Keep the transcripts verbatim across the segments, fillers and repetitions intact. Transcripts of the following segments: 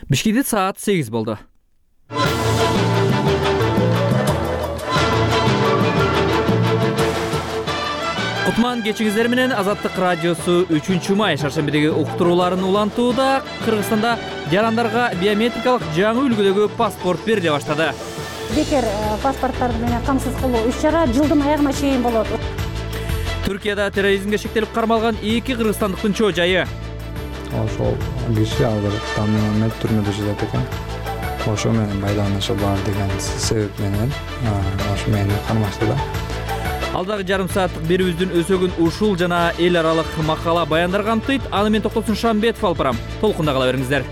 Бишкекте саат сегиз болду. Кутман кечиңиздер менен Азаттык радиосу үчүнчү май шаршембидеги уктурууларын улантууда. Кыргызстанда жарандарга биометрикалык жаңы үлгүдөгү паспорт бериле баштады. Бекер паспорттарды менен камсыз кылуу иш-чара жылдын аягына чейин болот. Түркияда терроризмге шектелип кармалган эки кыргызстандыктын чоо жайы. Ошол киши азыр Тамимамет түрмөдө жатат экен. Ошо менен байланышы бар деген себеп менен ошо мени кармаштыда. Алдагы жарым сааттык берүүбүздүн өзөгүн ушул жана эл аралык макала баяндар камтыйт. Аны мен Токтосун Шамбетов алып барам. Толкунда кала бериңиздер.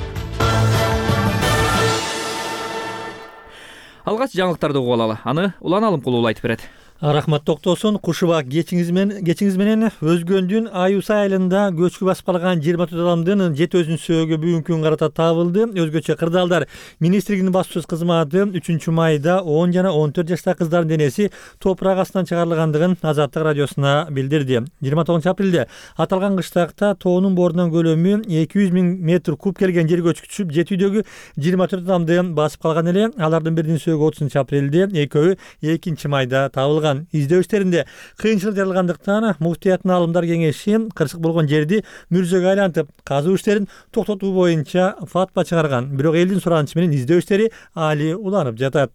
Алгач жаңылыктарды угуп алалы. Аны Улан Алымкулуу айтып берет. Рахмат Токтосун. Кушубак кечиңиз менен кечиңиз менен Өзгөндүн Аюса айылында көчкү басып калган жыйырма төрт адамдын жети өзүнүн сөөгү бүгүнкү күнгө карата табылды. Өзгөчө кырдаалдар министрлигинин баспасөз кызматы үчүнчү майда он жана он төрт жаштагы кыздардын денеси топурак астынан чыгарылгандыгын Азаттык радиосуна билдирди. жыйырма тогузунчу апрелде аталган кыштакта тоонун боорунан көлөмү эки жүз миң метр куб келген жер көчкү түшүп, жетүүдөгү жыйырма төрт адамды басып калган эле. Алардын биринин сөөгү отузунчу апрелде, экөөү экинчи майда табылган. Издөө иштеринде кыйынчылык жаралгандыктан муфтияттын алымдар кеңеши кырсык болгон жерди мүрзөгө айлантып, казуу иштерин токтотуу боюнча фатва чыгарган. Бирок элдин суранычы менен издөө иштери али уланып жатат.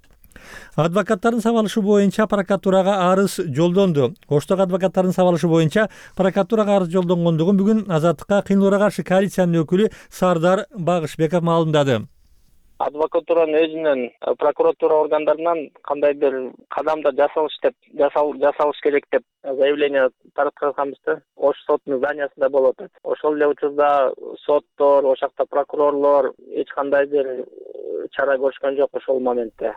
Адвокаттардын сабалышы боюнча прокуратурага арыз жолдонду. Оштогу адвокаттардын сабалышы боюнча прокуратурага арыз жолдонгондугун бүгүн Азаттыкка кыйнылууга каршы коалициянын өкүлү Сардар Багышбеков маалымдады. Адвокатуранын өзүнөн, прокуратура органдарынан кандайдыр кадамда жасалыш деп жасалыш керек деп заявление таратканбыз да. Ош сотунун зданиясында болуп атат. Ошол эле учурда соттор, ошакта прокурорлор эч кандайдыр чара көрүшкөн жок ошол моментте.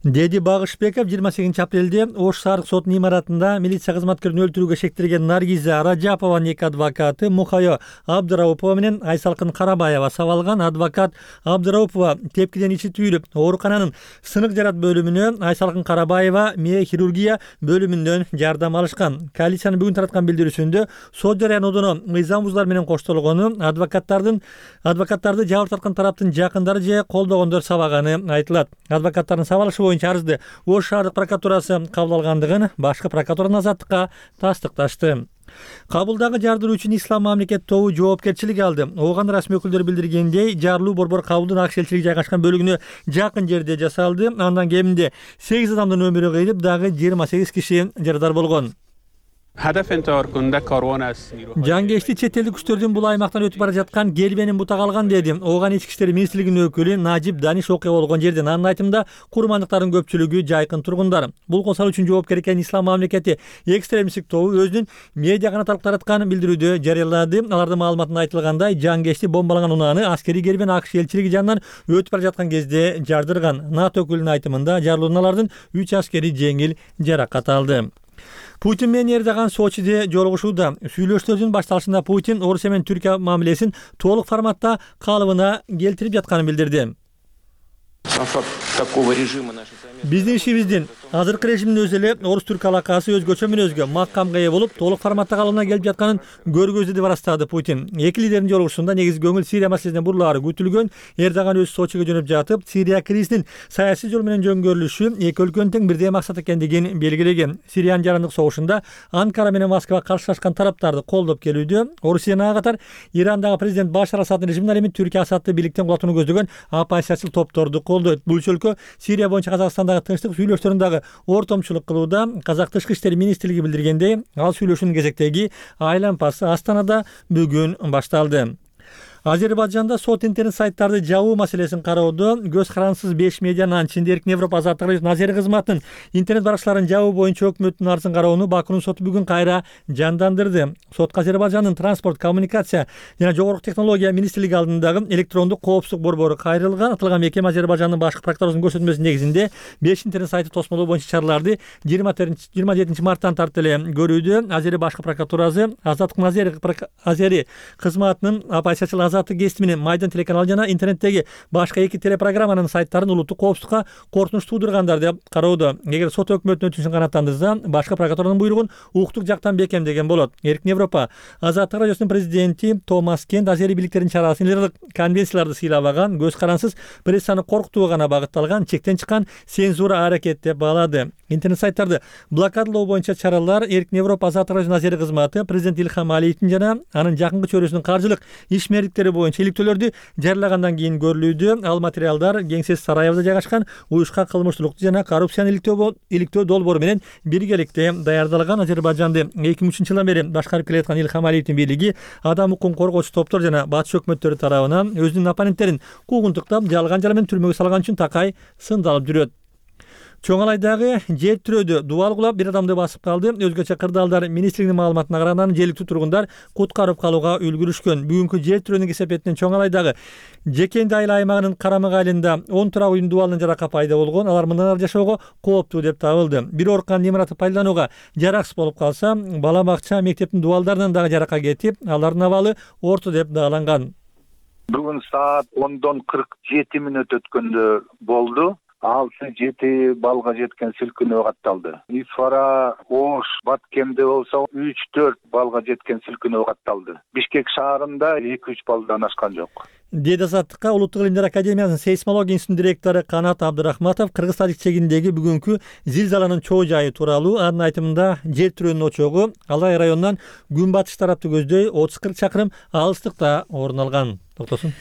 Деди Багышбеков жыйырма сегизинчи апрелде Ош шаардык сотунун имаратында милиция кызматкерин өлтүрүүгө шектелген Наргиза Раджапованын эки адвокаты Мухайо Абдыраупова менен Айсалкын Карабаева сабалган. Адвокат Абдыраупова тепкиден ичи түйүлүп, оорукананын сынык жарат бөлүмүнө, Айсалкын Карабаева мээ хирургия бөлүмүнөн жардам алышкан. Коалициянын бүгүн тараткан билдирүүсүндө сот жарыянуудуна мыйзам бузуулар менен коштолгону, адвокаттардын адвокаттарды жабыр тарткан тараптын жакындары же колдогондор сабаганы айтылат. Адвокаттардын сабалышы боюнча арызды Ош шаардык прокуратурасы кабыл алгандыгын башкы прокуратуранын Азаттыкка тастыкташты. Кабылдагы жардыруу үчүн Ислам мамлекет тобу жоопкерчилик алды. Ооган расмий өкүлдөр билдиргендей, жарылуу Борбор кабылдын ак элчилиги жайгашкан бөлүгүнө жакын жерде жасалды. Андан кеминде сегиз адамдын өмүрү кыйылып, дагы жыйырма сегиз киши жарадар болгон. Жангечти чет элдик күчтөрдүн бул аймактан өтүп бара жаткан келбенин бутак алган деди Ооган ички иштер министрлигинин өкүлү Нажип Даниш окуя болгон жерден. Анын айтымында курмандыктардын көпчүлүгү жайкын тургундар. Бул косал үчүн жоопкер экен Ислам мамлекети экстремисттик тобу өзүнүн медиа канатталык тараткан билдирүүдө жарыялады. Алардын маалыматында айтылгандай, жангечти бомбалаган унааны аскерий келбен ак элчилиги жанынан өтүп бара жаткан кезде жардырган. НАТО өкүлүнүн айтымында жарылуудан алардын үч аскери жеңил жаракат алды. Путин менен Эрдоган Сочиде жолугушууда. Сүйлөшүүлөрдүн башталышында Путин Орусия менен Түркия мамилесин толук форматта калыбына келтирип жатканын билдирди. Биздин ишибиздин азыркы режимдин өзү эле орус-түрк алакасы өзгөчө мүнөзгө макамга ээ болуп, толук форматта калыбына келип жатканын көргөздү деп арастады Путин. Эки лидердин жолугушуусунда негизи көңүл Сирия маселесине бурулаары күтүлгөн. Эрдоган өзү Сочиге жөнөп жатып, Сирия кризисинин саясий жол менен жөнгөрүлүшү эки өлкөнүн тең бирдей максат экендигин белгилеген. Сириянын жарандык согушунда Анкара менен Москва каршылашкан тараптарды колдоп келүүдө. Орусияга катар Ирандагы президент Башар Асаддын режимине ал эми Түркия Асадды бийликтен кулатууну көздөгөн оппозициячыл топторду колдойт. Бул өлкө Сирия боюнча Казакстандагы тынчтык сүйлөшүүлөрүн дагы ортомчулук кылууда. Казак тышкы иштер министрлиги билдиргендей, ал сүйлөшүүнүн кезектеги айлампасы Астанада бүгүн башталды. Азербайжанда сот интернет сайттарды жабуу маселесин кароодо көз карансыз беш медианын ичинде Эркин Европа Азаттык Назери кызматынын интернет баракчаларын жабуу боюнча өкмөттүн арызын кароону Бакунун соту бүгүн кайра жандандырды. Сотко Азербайжандын транспорт, коммуникация жана жогорку технология министрлиги алдындагы электрондук коопсуздук борбору кайрылган. Аталган мекеме Азербайжандын башкы прокуратурасынын көрсөтмөсүнүн негизинде беш интернет сайты тосмолоо боюнча чараларды жыйырма жетинчи марттан тартып эле көрүүдө. Азери башкы прокуратурасы Азаттык Назери Азери кызматынын оппозициячыл Азаттык гезити менен Майдан телеканалы жана интернеттеги башка эки телепрограмманын сайттарын улуттук коопсуздукка коркунуч туудургандар деп кароодо. Эгер сот өкмөтүнүн өтүнүшүн канааттандырса, башка прокуратуранын буйругун укуктук жактан бекемдеген болот. Эркин Европа Азаттык радиосунун президенти Томас Кент азери бийликтердин чарасы лидерлик конвенцияларды сыйламаган, көз карансыз прессаны коркутууга гана багытталган чектен чыккан цензура аракет деп баалады. Интернет сайттарды блокадалоо боюнча чаралар Эркин Европа Азаттык радиосунун азери кызматы президент Илхам Алиевдин жана анын жакынкы чөйрөсүнүн каржылык ишмердиктери боюнча иликтөөлөрдү жарыялагандан кийин көрүлүүдө. Ал материалдар Кеңсес сарайыбызда жайгашкан уюшка кылмыштуулукту жана коррупцияны иликтөө долбоору менен биргеликте даярдалган. Азербайжанды эки миң үчүнчү жылдан бери башкарып келаткан Илхам Алиевдин бийлиги адам укугун коргоочу топтор жана батыш өкмөттөрү тарабынан өзүнүн оппоненттерин куугунтуктап, жалган жала менен түрмөгө салган үчүн такай сындалып жүрөт. Чоңалайдагы жер тирөөдө дубал кулап бир адамды басып калды. Өзгөчө Кырдаалдар министрлигинин маалыматына караганда желиктүү тургундар куткарып калууга үлгүрүшкөн. Бүгүнкү жер тирөөнүн кесепетинен Чоңалайдагы Жекенди айыл аймагынын Карамык айылында он турак үйдүн дубалынын жарака пайда болгон. Алар мындан ары жашоого кооптуу деп табылды. Бир оркан имараты пайдаланууга жараксыз болуп калса, бала бакча, мектептин дубалдарынан дагы жарака кетип, алардын абалы орто деп бааланган. Бүгүн саат ондон кырк жети мүнөт өткөндө болду. алты жети балга жеткен силкинөө катталды. Исфара, Ош, Баткемде болсо үч төрт балга жеткен силкинөө катталды. Бишкек шаарында эки үч балдан ашкан жок. Деди Азаттыкка Улуттук илимдер академиясынын сейсмология институтунун директору Канат Абдырахматов Кыргыз-Тажик чегиндеги бүгүнкү зилзаланын чоо жайы тууралуу анын айтымында жер тирөөнүн очогу Алай районунан күнбатыш тарапты көздөй отуз кырк чакырым алыстыкта орун алган. Токтосун.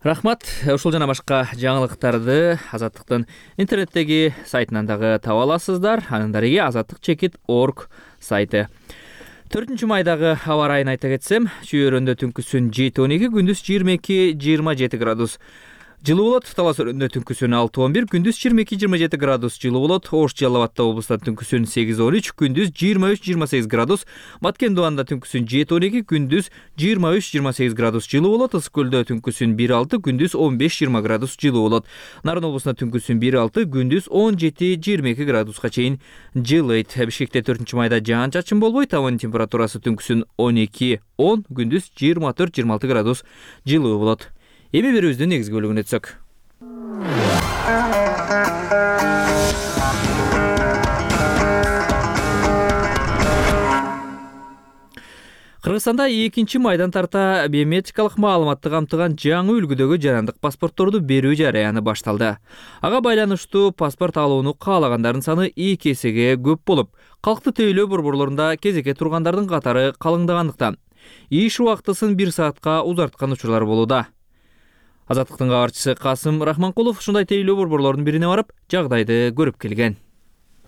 Рахмат. Ушул жана башка жаңылыктарды Азаттыктын интернеттеги сайтынан дагы таба аласыздар. Анын дареги азаттык чекит точка орг сайты. төртүнчү майдагы аба ырайын айта кетсем, Чүй-Өрөндө түнкүсүн жети он эки, күндүз жыйырма эки жыйырма жети градус жылуу болот. Талас Өрөндө түнкүсүн алты он бир, күндүз жыйырма эки жыйырма жети градус жылуу болот. Ош Жалал Абадта облустта түнкүсүн сегиз он үч, күндүз жыйырма үч жыйырма сегиз градус. Баткен Дубанда түнкүсүн жети он эки, күндүз жыйырма үч жыйырма сегиз градус жылуу болот. Ысык Көлдө түнкүсүн бир алты, күндүз он беш жыйырма градус жылуу болот. Нарын облусунда түнкүсүн бир алты, күндүз он жети жыйырма эки градуска чейин жылыйт. Бишкекте төртүнчү майда жаан чачын болбойт. Абанын температурасы түнкүсүн он эки он, күндүз жыйырма төрт жыйырма алты градус жылуу болот. Эми берүүбүздүн негизги бөлүгүнө өтсөк. Кыргызстанда экинчи майдан тарта биометрикалык маалыматты камтыган жаңы үлгүдөгү жарандык паспортторду берүү жараяны башталды. Ага байланыштуу паспорт алууну каалагандардын саны эки эсеге көп болуп, калкты тейлөө борборлорунда кезекке тургандардын катары калыңдагандыктан иш убактысын бир саатка узарткан учурлар болууда. Азаттыктын кабарчысы Касым Рахманкулов ушундай тейлөө борборлорунун бирине барып, жагдайды көрүп келген.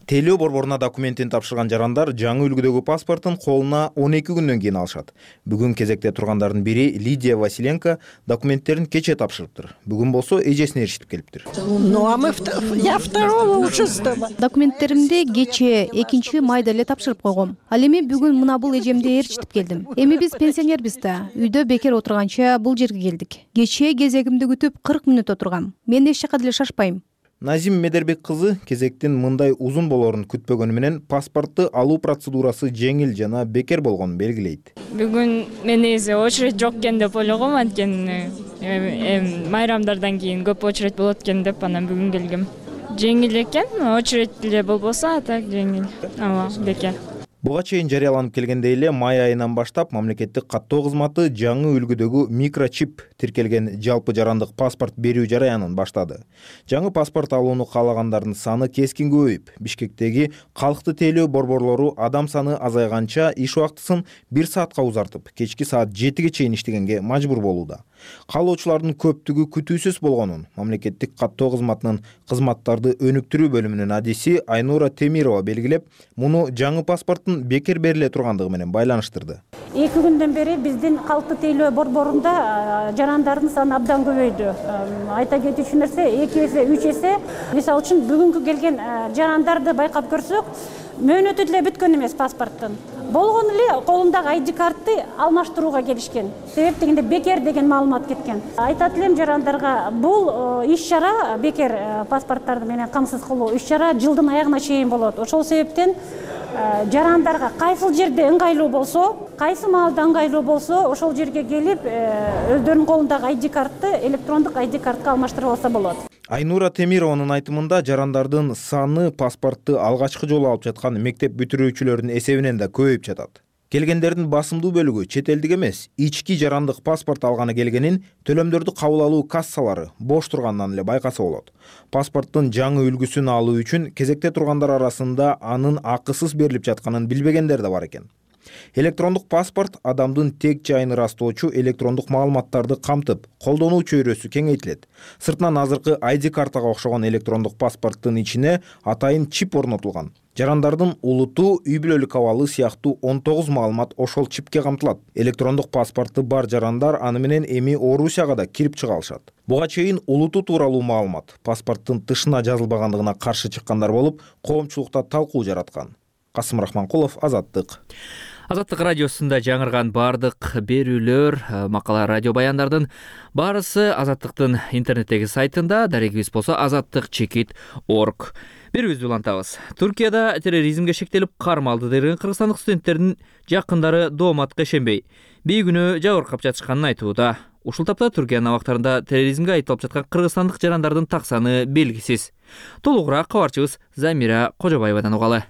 Тейлөө борборуна документин тапшырган жарандар жаңы үлгүдөгү паспортун колуна он эки күндөн кийин алышат. Бүгүн кезекте тургандардын бири Лидия Василенко документтерин кече тапшырыптыр. Бүгүн болсо эжесине эрişип келиптир. Ну а мы я второго уже сдала. Документтеримди кече экинчи майда эле тапшырып койгом. Ал эми бүгүн мына бул эжемди ээрчитип келдим. Эми биз пенсионербиз да. Үйдө бекер отурганча бул жерге келдик. Кече кезегимди күтүп кырк мүнөт отургам. Мен эч жака деле шашпайм. Назим Медербек кызы кезектин мындай узун болоорун күтпөгөнү менен паспортты алуу процедурасы жеңил жана бекер болгонун белгилейт. Бүгүн мен эзе очередь жок экен деп ойлогом, анткени майрамдардан кийин көп очередь болот экен деп анан бүгүн келгем. Жеңил экен, очередь деле болбосо а так жеңил. Ооба, бекер. Буга чейин жарыяланып келгендей эле май айынан баштап мамлекеттик каттоо кызматы жаңы үлгүдөгү микрочип тиркелген жалпы жарандык паспорт берүү жараянын баштады. Жаңы паспорт алууну каалагандардын саны кескин көбөйүп, Бишкектеги калкты тейлөө борборлору адам саны азайганча иш убактысын бир саатка узартып, кечки саат жетиге чейин иштегенге мажбур болууда. Каалоочулардын көптүгү күтүүсүз болгонун мамлекеттик каттоо кызматынын кызматтарды өнүктүрүү бөлүмүнүн адиси Айнура Темирова белгилеп, муну жаңы паспорттун бекер бериле тургандыгы менен байланыштырды. эки күндөн бери биздин калкты тейлөө борборунда жарандардын саны абдан көбөйдү. Айта кетүүчү нерсе эки эсе, үч эсе. Мисалы үчүн бүгүнкү келген жарандарды байкап көрсөк, мөөнөтү деле бүткөн эмес паспорттун. Болгон эле колундагы ай ди картты алмаштырууга келишкен. Себеп дегенде бекер деген маалымат кеткен. Айтат элем жарандарга, бул иш чара бекер паспорттарды менен камсыз кылуу иш чара жылдын аягына чейин болот. Ошол себептен жарандарга кайсыл жерде ыңгайлуу болсо, кайсы маалда ыңгайлуу болсо ошол жерге келип өздөрүнүн колундагы ай ди картты электрондук ай ди картка алмаштырып алса болот. Айнура Темированын айтымында жарандардын саны паспортду алгачкы жолу алып жаткан мектеп бүтүрүүчүлөрдүн эсебинен да көбөйүп жатат. Келгендердин басымдуу бөлүгү чет элдик эмес, ички жарандык паспорт алганы келгенин төлөмдөрдү кабыл алуу кассалары бош тургандан эле байкаса болот. Паспорттун жаңы үлгүсүн алуу үчүн кезекте тургандар арасында анын акысыз берилип жатканын билбегендер да бар экен. Электрондук паспорт адамдын тек жайын ырастоочу электрондук маалыматтарды камтып, колдонуу чөйрөсү кеңейтилет. Сыртынан азыркы ай ди картага окшогон электрондук паспорттун ичине атайын чип орнотулган. Жарандардын улуту, үй бүлөлүк абалы сыяктуу он тогуз маалымат ошол чипке камтылат. Электрондук паспорту бар жарандар аны менен эми Орусияга да кирип чыга алышат. Буга чейин улуту тууралуу маалымат паспорттун тышына жазылбагандыгына каршы чыккандар болуп, коомчулукта талкуу жараткан. Касым Рахманкулов, Азаттык. Азаттык радиосунда жаңырган бардык берүүлөр, макала, радио баяндардын баарысы Азаттыктын интернеттеги сайтында, дарегибиз болсо азаттык чекит точка орг. Берүүбүздү улантабыз. Туркияда терроризмге шектелип кармалды деген кыргызстандык студенттердин жакындары дооматка ишенбей, бейгүнөө жабыркап жатышканын айтууда. Ушул тапта Түркиянын абактарында терроризмге айтылып жаткан кыргызстандык жарандардын так саны белгисиз. Толугураак кабарчыбыз Замира Кожобаевадан угалы.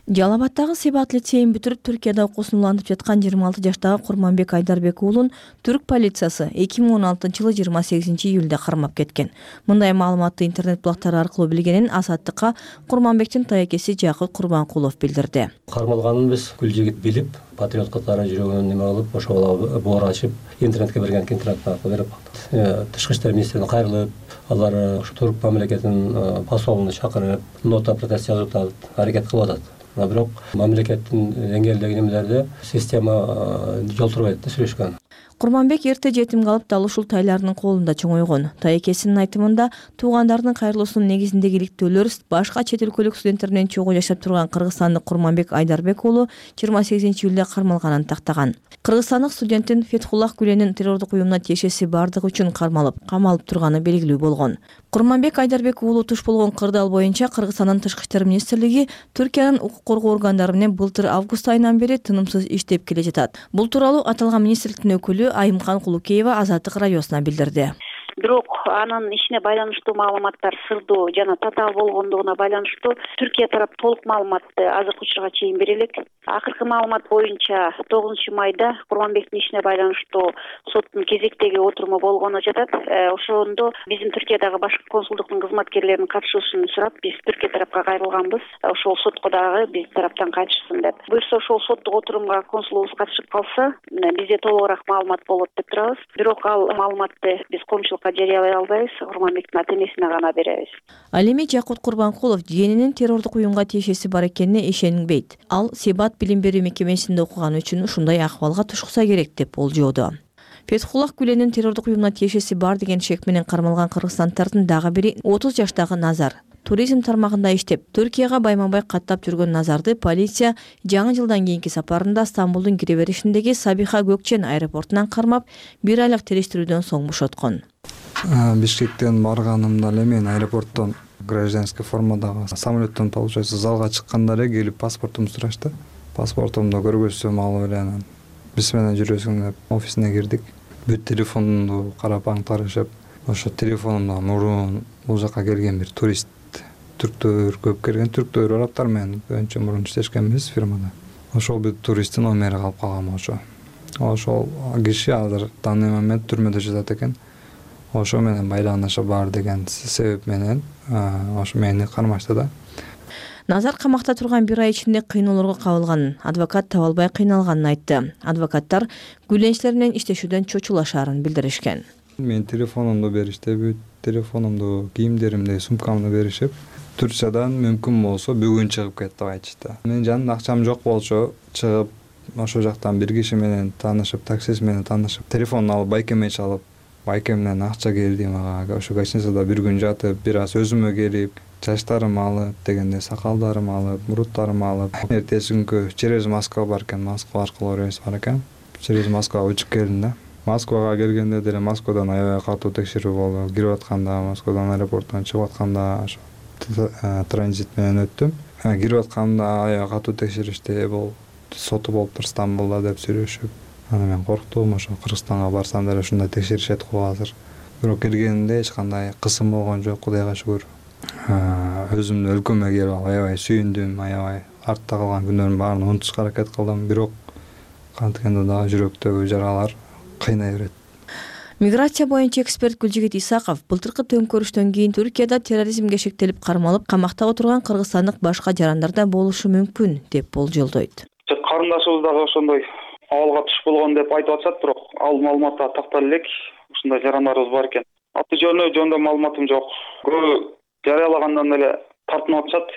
Жалал Абадтагы Себат лицейин бүтүрүп Түркияда окуусун улантып жаткан жыйырма алты жаштагы Курманбек Айдарбек уулун түрк полициясы эки миң он алтынчы жылы жыйырма сегизинчи июлда кармап кеткен. Мындай маалыматты интернет булактары аркылуу билгенин Азаттыкка Курманбектин тайекеси Жакыт Курбанкулов билдирди. Кармалганын биз күл жигит билип, патриот катары жүрөгүнөн неме кылып, ошол боор ачып, интернетке берген интернет аркылуу берип калдык. Тышкы иштер министрлигине кайрылып, алар ушу турк мамлекетинин посолуну чакырып, нота протест жазып атат, аракет кылып атат. Бирок мамлекеттин деңгээлдеги немелерде система жол турбайт да сүйлөшкөн. Курманбек эрте жетим калып, дал ушул тайлардын колунда чоңойгон. Тайекесинин айтымында туугандарынын кайрылуусунун негизиндеги иликтөөлөр башка чет өлкөлүк студенттердер менен чогуу жашап турган кыргызстандык Курманбек Айдарбек уулу жыйырма сегизинчи июлда кармалганын тактаган. Кыргызстандык студенттин Фетхуллах Гүленин террордук уюмуна тиешеси бардыгы үчүн кармалып, камалып турганы белгилүү болгон. Курманбек Айдарбек уулу туш болгон кырдаал боюнча Кыргызстандын тышкы иштер министрлиги Түркиянын укук коргоо органдары менен былтыр август айынан бери тынымсыз иштеп келе жатат. Бул тууралуу аталган министрликтин өкүлү Айымкан Кулукеева Азаттык радиосуна билдирди. Бирок анын ишине байланыштуу маалыматтар сырдуу жана татаал болгондугуна байланыштуу Түркия тарап толук маалыматты азыркы учурга чейин бере элек. Акыркы маалымат боюнча тогузунчу майда Курманбектин ишине байланыштуу соттун кезектеги отуруму болгону жатат. Ошондо биздин Түркиядагы башкы консулдуктун кызматкерлеринин катышуусун сурап, биз Түркия тарапка кайрылганбыз. Ошол сотко дагы биз тараптан катышсын деп. Буюрса ошол соттук отурумга консулубуз катышып калса, бизде толугураак маалымат болот деп турабыз. Бирок ал маалыматты биз коомчулукка жарыялай албайбыз, Курманбектин ата-энесине гана беребиз. Ал эми Жакут Курбанкулов жиенинин террордук уюмга тиешеси бар экенине ишенбейт. Ал Себат билим берүү мекемесинде окуганы үчүн ушундай акыбалга тушукса керек деп болжоодо. Фетхуллах Гүленин террордук уюмуна тиешеси бар деген шек менен кармалган кыргызстанддардын дагы бири отуз жаштагы Назар. Туризм тармагында иштеп, Түркияга байма-бай каттап жүргөн Назарды полиция жаңы жылдан кийинки сапарында Стамбулдун кире беришиндеги Сабиха Gökçen аэропортунан кармап, бир айлык териштирүүдөн соң бошоткон. Бишкектен барганымда эле мен аэропорттон гражданский формадагы самолеттон получается залга чыкканда эле келип паспортумду сурашты. Паспортумду көргөзсөм ал эле биз менен жүрөсүң деп офисине кирдик. Бүт телефонду карап аңтарышып, ошо телефонумда мурун бул жака келген бир турист, түрктөр көп келген, түрктөр арабтар менен önce мурун иштешкенбиз фирмада. Ошол бир туристтин номери калып калган ошо. Ошол киши азыр данный момент түрмөдө жатат экен. Ошо менен байланышы бар деген себеп менен ошо мени кармашты да. Назар камакта турган бир ай ичинде кыйноолорго кабылганын, адвокат таба албай кыйналганын айтты. Адвокаттар гүленчилер менен иштешүүдөн чочулашаарын билдиришкен. Мен телефонумду беришти, бүт телефонумду, кийимдеримди, сумкамды беришип, Турциядан мүмкүн болсо бүгүн чыгып кет деп айтышты. Менин жанымда акчам жок болчу, чыгып ошол жактан бир киши менен таанышып, таксист менен таанышып, телефонун алып байкемге чалып, байкемден акча келди мага. Ошо гостиницада бир күн жатып, бир аз өзүмө келип, чачтарым алып, дегенде сакалдарым алып, муруттарым алып, эртеси күнкү через Москва бар экен, Москва аркылуу рейс бар экен. Через Москва учуп келдим да. Москвага келгенде деле Москвадан аябай катуу текшерүү болду. Кирип атканда, Москвадан аэропорттон чыгып атканда транзит менен өттүм. Кирип атканда аябай катуу текшеришти. Бул соту болуптур Стамбулда деп сүйлөшүп, ана мен корктум, ошо Кыргызстанга барсам деле ушундай текшеришет го азыр. Бирок келгенимде эч кандай кысым болгон жок, Кудайга шүгүр. Өзүмдүн өлкөмө келип алып аябай сүйүндүм, аябай артта калган күнөрүмдүн баарын унутушка аракет кылдым, бирок кантигенде дагы жүрөктөгү жаралар кыйнай берет. Миграция боюнча эксперт Гүлжигит Исаков былтыркы төңкөрүштөн кийин Түркияда терроризмге шектелип кармалып, камакта отурган кыргызстандык башка жарандар да болушу мүмкүн деп болжолдойт. Карындашыбыз дагы ошондой абалга туш болгон деп айтып атышат, бирок ал маалыматта тактала элек ушундай жарандарыбыз бар экен. Аты жөнү жөнүндө маалыматым жок. Көбү жарыялагандан эле тартынып атышат.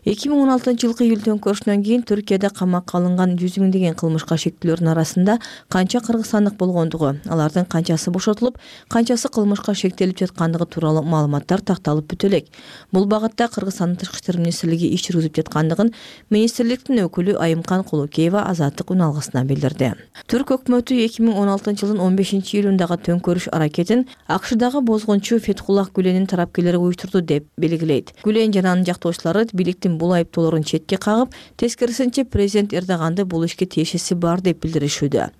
эки миң он алтынчы жылкы июль төңкөрүшүнөн кийин Түркияда камакка алынган жүз миңдеген кылмышка шектүүлөрдүн арасында канча кыргызстандык болгондугу, алардын канчасы бошотулуп, канчасы кылмышка шектелип жаткандыгы тууралуу маалыматтар такталып бүтө элек. Бул багытта Кыргызстандын Тышкы иштер министрлиги иш жүргүзүп жаткандыгын министрликтин өкүлү Айымкан Кулукеева Азаттык үн алгысына билдирди. Түрк өкмөтү эки миң он алтынчы жылдын он бешинчи июлундагы төңкөрүш аракетин АКШдагы бозгунчу Фетхуллах Гүленин тарапкерлери уюштурду деп белгилейт. Гүлен жана анын жактоочулары бийликтин бул айыптоолорун четке кагып, тескерисинче президент Эрдоганды бул ишке тиешеси бар деп билдиришүүдө.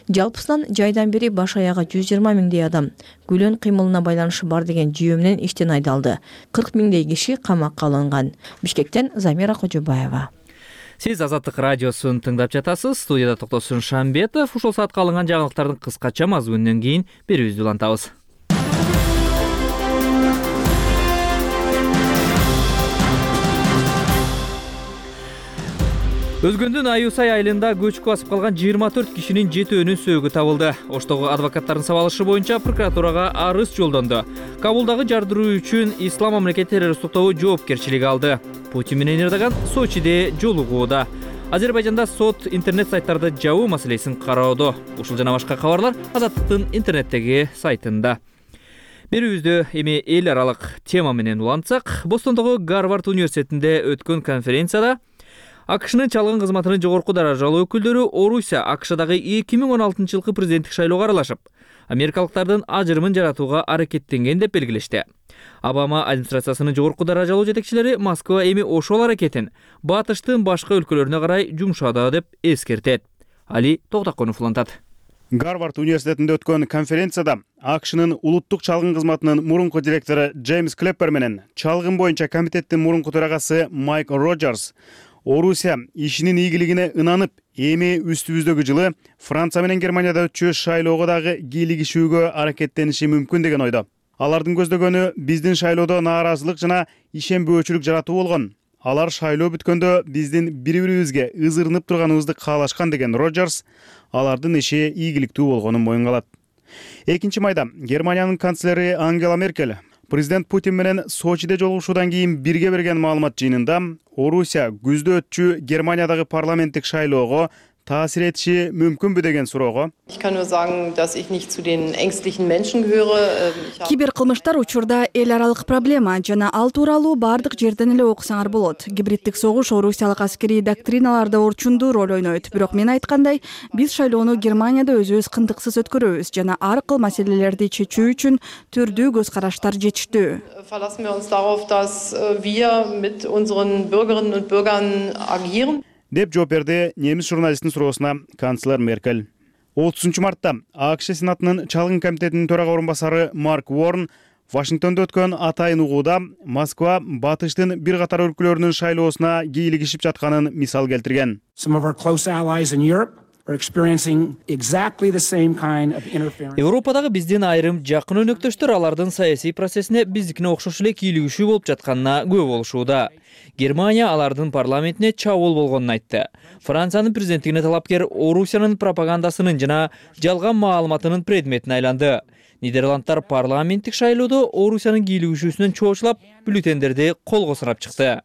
Жалпысынан жайдан бери баш аягы жүз жыйырма миңдей адам Гүлен кыймылына байланышы бар деген жүйө менен иштен айдалды. кырк миңдей киши камакка алынган. Бишкектен Замира Кожобаева. Сиз Азаттык радиосун тыңдап жатасыз. Студияда Токтосун Шамбетов. Ушул саатка алынган жаңылыктардын кыскача мазмунунан кийин берүүбүздү улантабыз. Өзгөндүн Аюсай айылында көчкү басып калган жыйырма төрт кишинин жетөөнүн сөөгү табылды. Оштогу адвокаттардын сабалышы боюнча прокуратурага арыз жолдонду. Кабулдагы жардыруу үчүн Ислам мамлекет террорист топтогу жоопкерчилиги алды. Путин менен Эрдоган Сочиде жолугууда. Азербайжанда сот интернет сайттарды жабуу маселесин кароодо. Ушул жана башка кабарлар Азаттыктын интернеттеги сайтында. Берүүбүздү эми эл аралык тема менен улантсак, Бостондогу Гарвард университетинде өткөн конференцияда АКШнын чалгын кызматынын жогорку даражалуу өкүлдөрү Орусия АКШдагы эки миң он алтынчы жылкы президенттик шайлоого аралашып, америкалыктардын ажырымын жаратууга аракеттенген деп белгилешти. Обама администрациясынын жогорку даражалуу жетекчилери Москва эми ошол аракетин батыштын башка өлкөлөрүнө карай жумшады деп эскертет. Али Токтаконов улантат. Гарвард университетинде өткөн конференцияда АКШнын улуттук чалгын кызматынын мурунку директору Джеймс Клеппер менен чалгын боюнча комитеттин мурунку төрагасы Майк Роджерс Орусия ишинин ийгилигине ынанып, эми үстүбүздөгү жылы Франция менен Германияда өтчү шайлоого дагы кийлигишүүгө аракеттениши мүмкүн деген ойдо. Алардын көздөгөнү биздин шайлоодо нааразылык жана ишенбөөчүлүк жаратуу болгон. Алар шайлоо бүткөндө биздин бири-бирибизге ызырынып турганыбызды каалашкан деген Роджерс алардын иши ийгиликтүү болгонун моюнгалат. экинчи майда Германиянын канцлери Ангела Меркель президент Путин менен Сочиде жолугушуудан кийин бирге берген маалымат жыйынында Орусия күздө өтчү Германиядагы парламенттик шайлоого таасир этиши мүмкүнбү деген суроого киберкылмыштар учурда эл аралык проблема жана ал тууралуу бардык жерден эле окусаңар болот. Гибриддик согуш орусиялык аскерий доктриналарда орчундуу роль ойнойт. Бирок мен айткандай, биз шайлоону Германияда өзүбүз кындыксыз өткөрөбүз жана ар кыл маселелерди чечүү үчүн түрдүү көз караштар жетиштүү. деп жооп берди немис журналисттин суроосуна канцлер Меркель. отузунчу мартта АКШ Сенатынын чалгын комитетинин төрага орун басары Марк Уорн Вашингтондо өткөн атайын угууда Москва батыштын бир катар өлкөлөрүнүн шайлоосуна кийлигишип жатканын мисал келтирген. Европадагы биздин айрым жакын өнөктөштөр алардын саясий процессине биздикине окшош эле кийлигишүү болуп жатканына күбө болушууда. Германия алардын парламентине чабуул болгонун айтты. Франциянын президенттигине талапкер Орусиянын пропагандасынын жана жалган маалыматынын предметине айланды. Нидерландтар парламенттик шайлоодо Орусиянын кийлигишүүсүнөн чоочулап, бюллетендерди колго санап чыкты.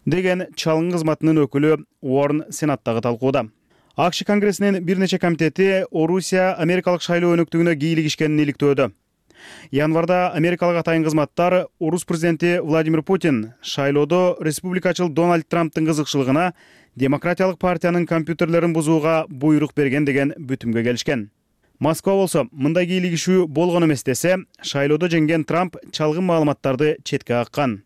деген чалгын кызматынын өкүлү Уорн Сенаттагы талкууда. АКШ Конгрессинин бир нече комитети Орусия америкалык шайлоо өнөктүгүнө кийлигишкенин иликтөөдө. Январда америкалык атайын кызматтар Орус президенти Владимир Путин шайлоодо республикачыл Дональд Трамптын кызыкчылыгына демократиялык партиянын компьютерлерин бузууга буйрук берген деген бүтүмгө келишкен. Москва болсо мындай кийлигишүү болгон эмес десе, шайлоодо жеңген Трамп чалгын маалыматтарды четке каккан.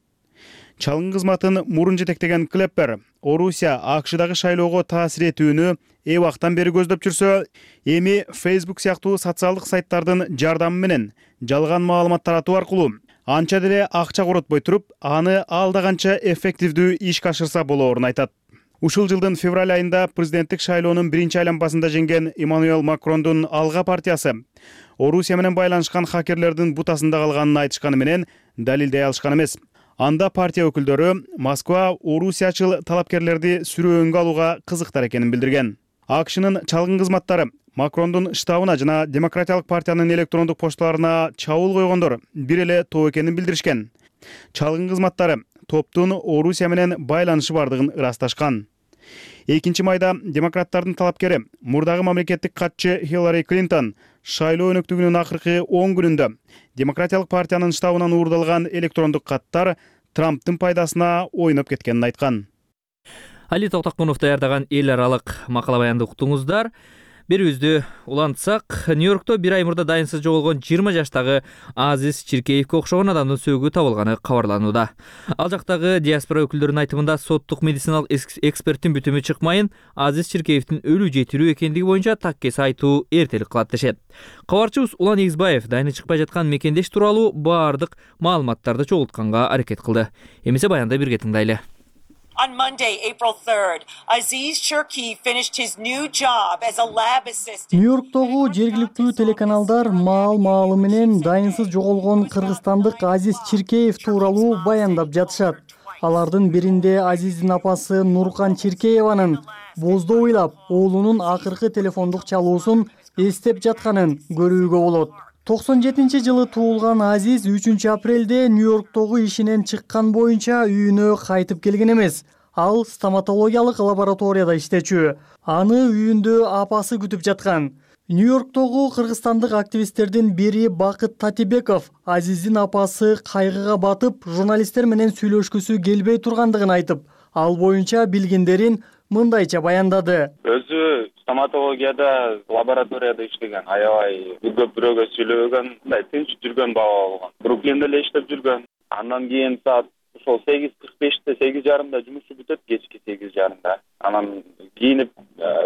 Чалгын кызматын мурун жетектеген Клеппер Орусия АКШдагы шайлоого таасир этүүнү эбактан бери көздөп жүрсө, эми Facebook сыяктуу социалдык сайттардын жардамы менен жалган маалымат таратуу аркылуу анча деле акча коротпой туруп, аны алда канча эффективдүү ишке ашырса болоорун айтат. Ушул жылдын февраль айында президенттик шайлоонун биринчи айланмасында жеңген Эммануэл Макрондун Алга партиясы Орусия менен байланышкан хакерлердин бутасында калганын айтышканы менен далилдей алышкан эмес. Анда партия өкүлдөрү Москва орусиячыл талапкерлерди сүрөөнгө алууга кызыктар экенин билдирген. АКШнын чалгын кызматтары Макрондун штабына жана Демократиялык партиянын электрондук пошталарына чабуул койгондор бир эле топ экенин билдиришкен. Чалгын кызматтары топтун Орусия менен байланышы бардыгын ырасташкан. экинчи майда демократтардын талапкери, мурдагы мамлекеттик катчы Хиллари Клинтон шайлоо өнөктүгүнүн акыркы он күнүндө Демократиялык партиянын штабынан уурдалган электрондук каттар Трамптын пайдасына ойноп кеткенин айткан. Али Токтокунов даярдаган эл аралык макала баянды уктуңуздар. Берүүбүздү улантсак, Нью-Йоркто бир ай мурда дайынсыз жоголгон жыйырма жаштагы Азиз Чиркеевке окшогон адамдын сөөгү табылганы кабарланууда. Ал жактагы диаспора өкүлдөрүнүн айтымында соттук медициналык эксперттин бүтүмү чыкмайын, Азиз Чиркеевдин өлүү же тирүү экендиги боюнча таккеси айтуу эртелик кылат дешет. Кабарчыбыз Улан Эгизбаев дайыны чыкпай жаткан мекендеш тууралуу баардык маалыматтарды чогултканга аракет кылды. Эмесе баянды бирге тыңдайлы. On Monday, April third, Aziz Chirki finished his new job as a lab assistant. Нью-Йорктогу жергиликтүү телеканалдар маал-маалы менен дайынсыз жоголгон кыргызстандык Азиз Чиркеев тууралуу баяндап жатышат. Алардын биринде Азиздин апасы Нуркан Чиркееванын боздо ыйлап оолунун акыркы телефондук чалуусун эстеп жатканын көрүүгө болот. токсон жетинчи жылы туулган Азиз үчүнчү апрелде Нью-Йорктогу ишинен чыккан боюнча үйүнө кайтып келген эмес. Ал стоматологиялык лабораторияда иштечү. Аны үйүндө апасы күтүп жаткан. Нью-Йорктогу кыргызстандык активисттердин бири Бакыт Татибеков Азиздин апасы кайгыга батып, журналисттер менен сүйлөшкүсү келбей тургандыгын айтып, ал боюнча билгендерин мындайча баяндады. Өзү стоматологияда лабораторияда иштеген, аябай көп бирөөгө сүйлөгөн, мындай тынч жүргөн бала болгон. Бруклинде эле иштеп жүргөн. Андан кийин саат ошол сегиз кырк беште, сегиз жарымда жумушу бүтөт, кечки сегиз жарымда. Анан кийинип,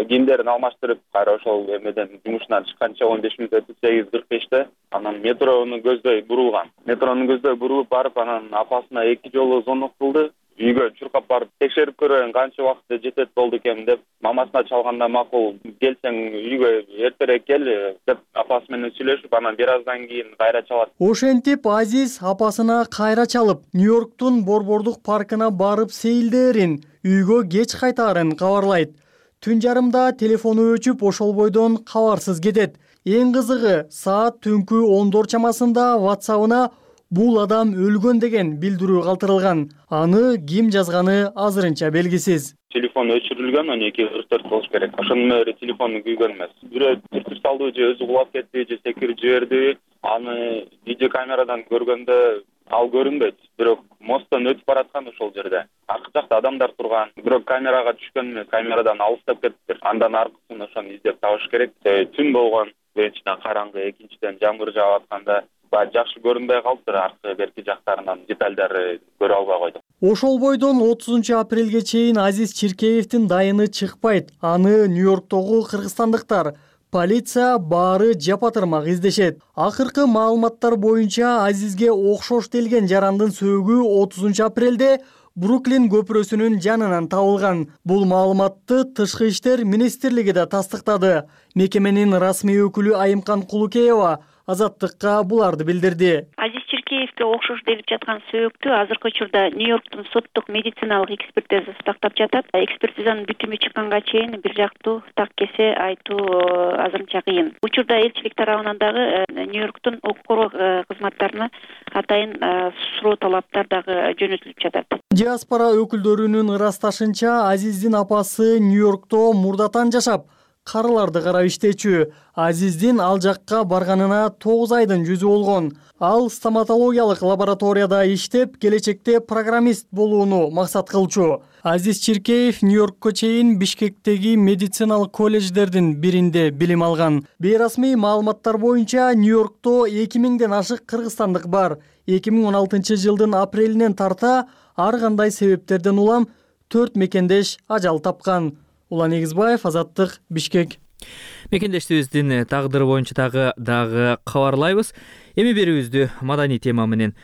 кийимдерин алмаштырып, кайра ошол эмеден жумушунан чыкканча он беш мүнөт өтүп сегиз кырк беште анан метрону көздөй бурулган. Метрону көздөй бурулуп барып, анан апасына эки жолу звонок кылды. Үйгө чуркап барып текшерип көрөйүн канча убакытта жетет болду экен деп, мамасына чалганда макул, келсең үйгө эртерээк кел деп апасы менен сүйлөшүп, анан бир аздан кийин кайра чалат. Ошентип Азиз апасына кайра чалып, Нью-Йорктун Борбордук паркына барып сейилдээрин, үйгө кеч кайтаарын кабарлайт. Түн жарымда телефону өчүп, ошол бойдон кабарсыз кетет. Эң кызыгы, саат түнкү ондор чамасында WhatsApp-ына бул адам өлгөн деген билдирүү калтырылган. Аны ким жазганы азырынча белгисиз. Телефон өчүрүлгөн, он эки кырк төрт болуш керек. Ошонун менен телефону күйгөн эмес. Бирөө түртүп салды же өзү кулап кетти же секирип жиберди. Аны видео камерадан көргөндө ал көрүнбөйт. Бирок мосттон өтүп бараткан ошол жерде. Аркы жакта адамдар турган. Бирок камерага түшкөн эмес, камерадан алыстап кетиптир. Андан аркысын ошону издеп табыш керек. Түн болгон, биринчиден караңгы, экинчиден жамгыр жаап атканда жакшы көрүнбөй калыптыр, аркы берки жактарынан детальдарды көрө албай койдук. Ошол бойдон отузунчу апрелге чейин Азиз Чиркеевдин дайыны чыкпайт. Аны Нью-Йорктогу кыргызстандыктар, полиция баары жапатырмак издешет. Акыркы маалыматтар боюнча Азизге окшош делген жарандын сөөгү отузунчу апрелде Бруклин көпүрөсүнүн жанынан табылган. Бул маалыматты Тышкы иштер министрлиги да тастыктады. Мекеменин расмий өкүлү Айымкан Кулукеева Азаттыкка буларды билдирди. Азиз Чиркеевге окшош делип жаткан сөөктү азыркы учурда Нью-Йорктун соттук медициналык экспертизасы тактап жатат. Экспертизанын бүтүмү чыкканга чейин бир жактуу таккесе айтуу азырынча кыйын. Учурда элчилик тарабынан дагы Нью-Йорктун укук коргоо кызматтарына атайын суроо талаптар дагы жөнөтүлүп жатат. Диаспора өкүлдөрүнүн ырасташынча, Азиздин апасы Нью-Йоркто мурдатан жашап, карыларды карап иштечү. Азиздин ал жакка барганына тогуз айдын жүзү болгон. Ал стоматологиялык лабораторияда иштеп, келечекте программист болууну максат кылчу. Азиз Чиркеев Нью-Йоркко чейин Бишкектеги медициналык колледждердин биринде билим алган. Бейрасмий маалыматтар боюнча Нью-Йоркто эки миңден ашык кыргызстандык бар. эки миң он алтынчы жылдын апрелинен тарта ар кандай себептерден улам төрт мекендеш ажал тапкан. Улан Эгизбаев, Азаттык, Бишкек. Мекендештибиздин тагдыры боюнча дагы дагы кабарлайбыз. Эми берүүбүздү маданий тема менен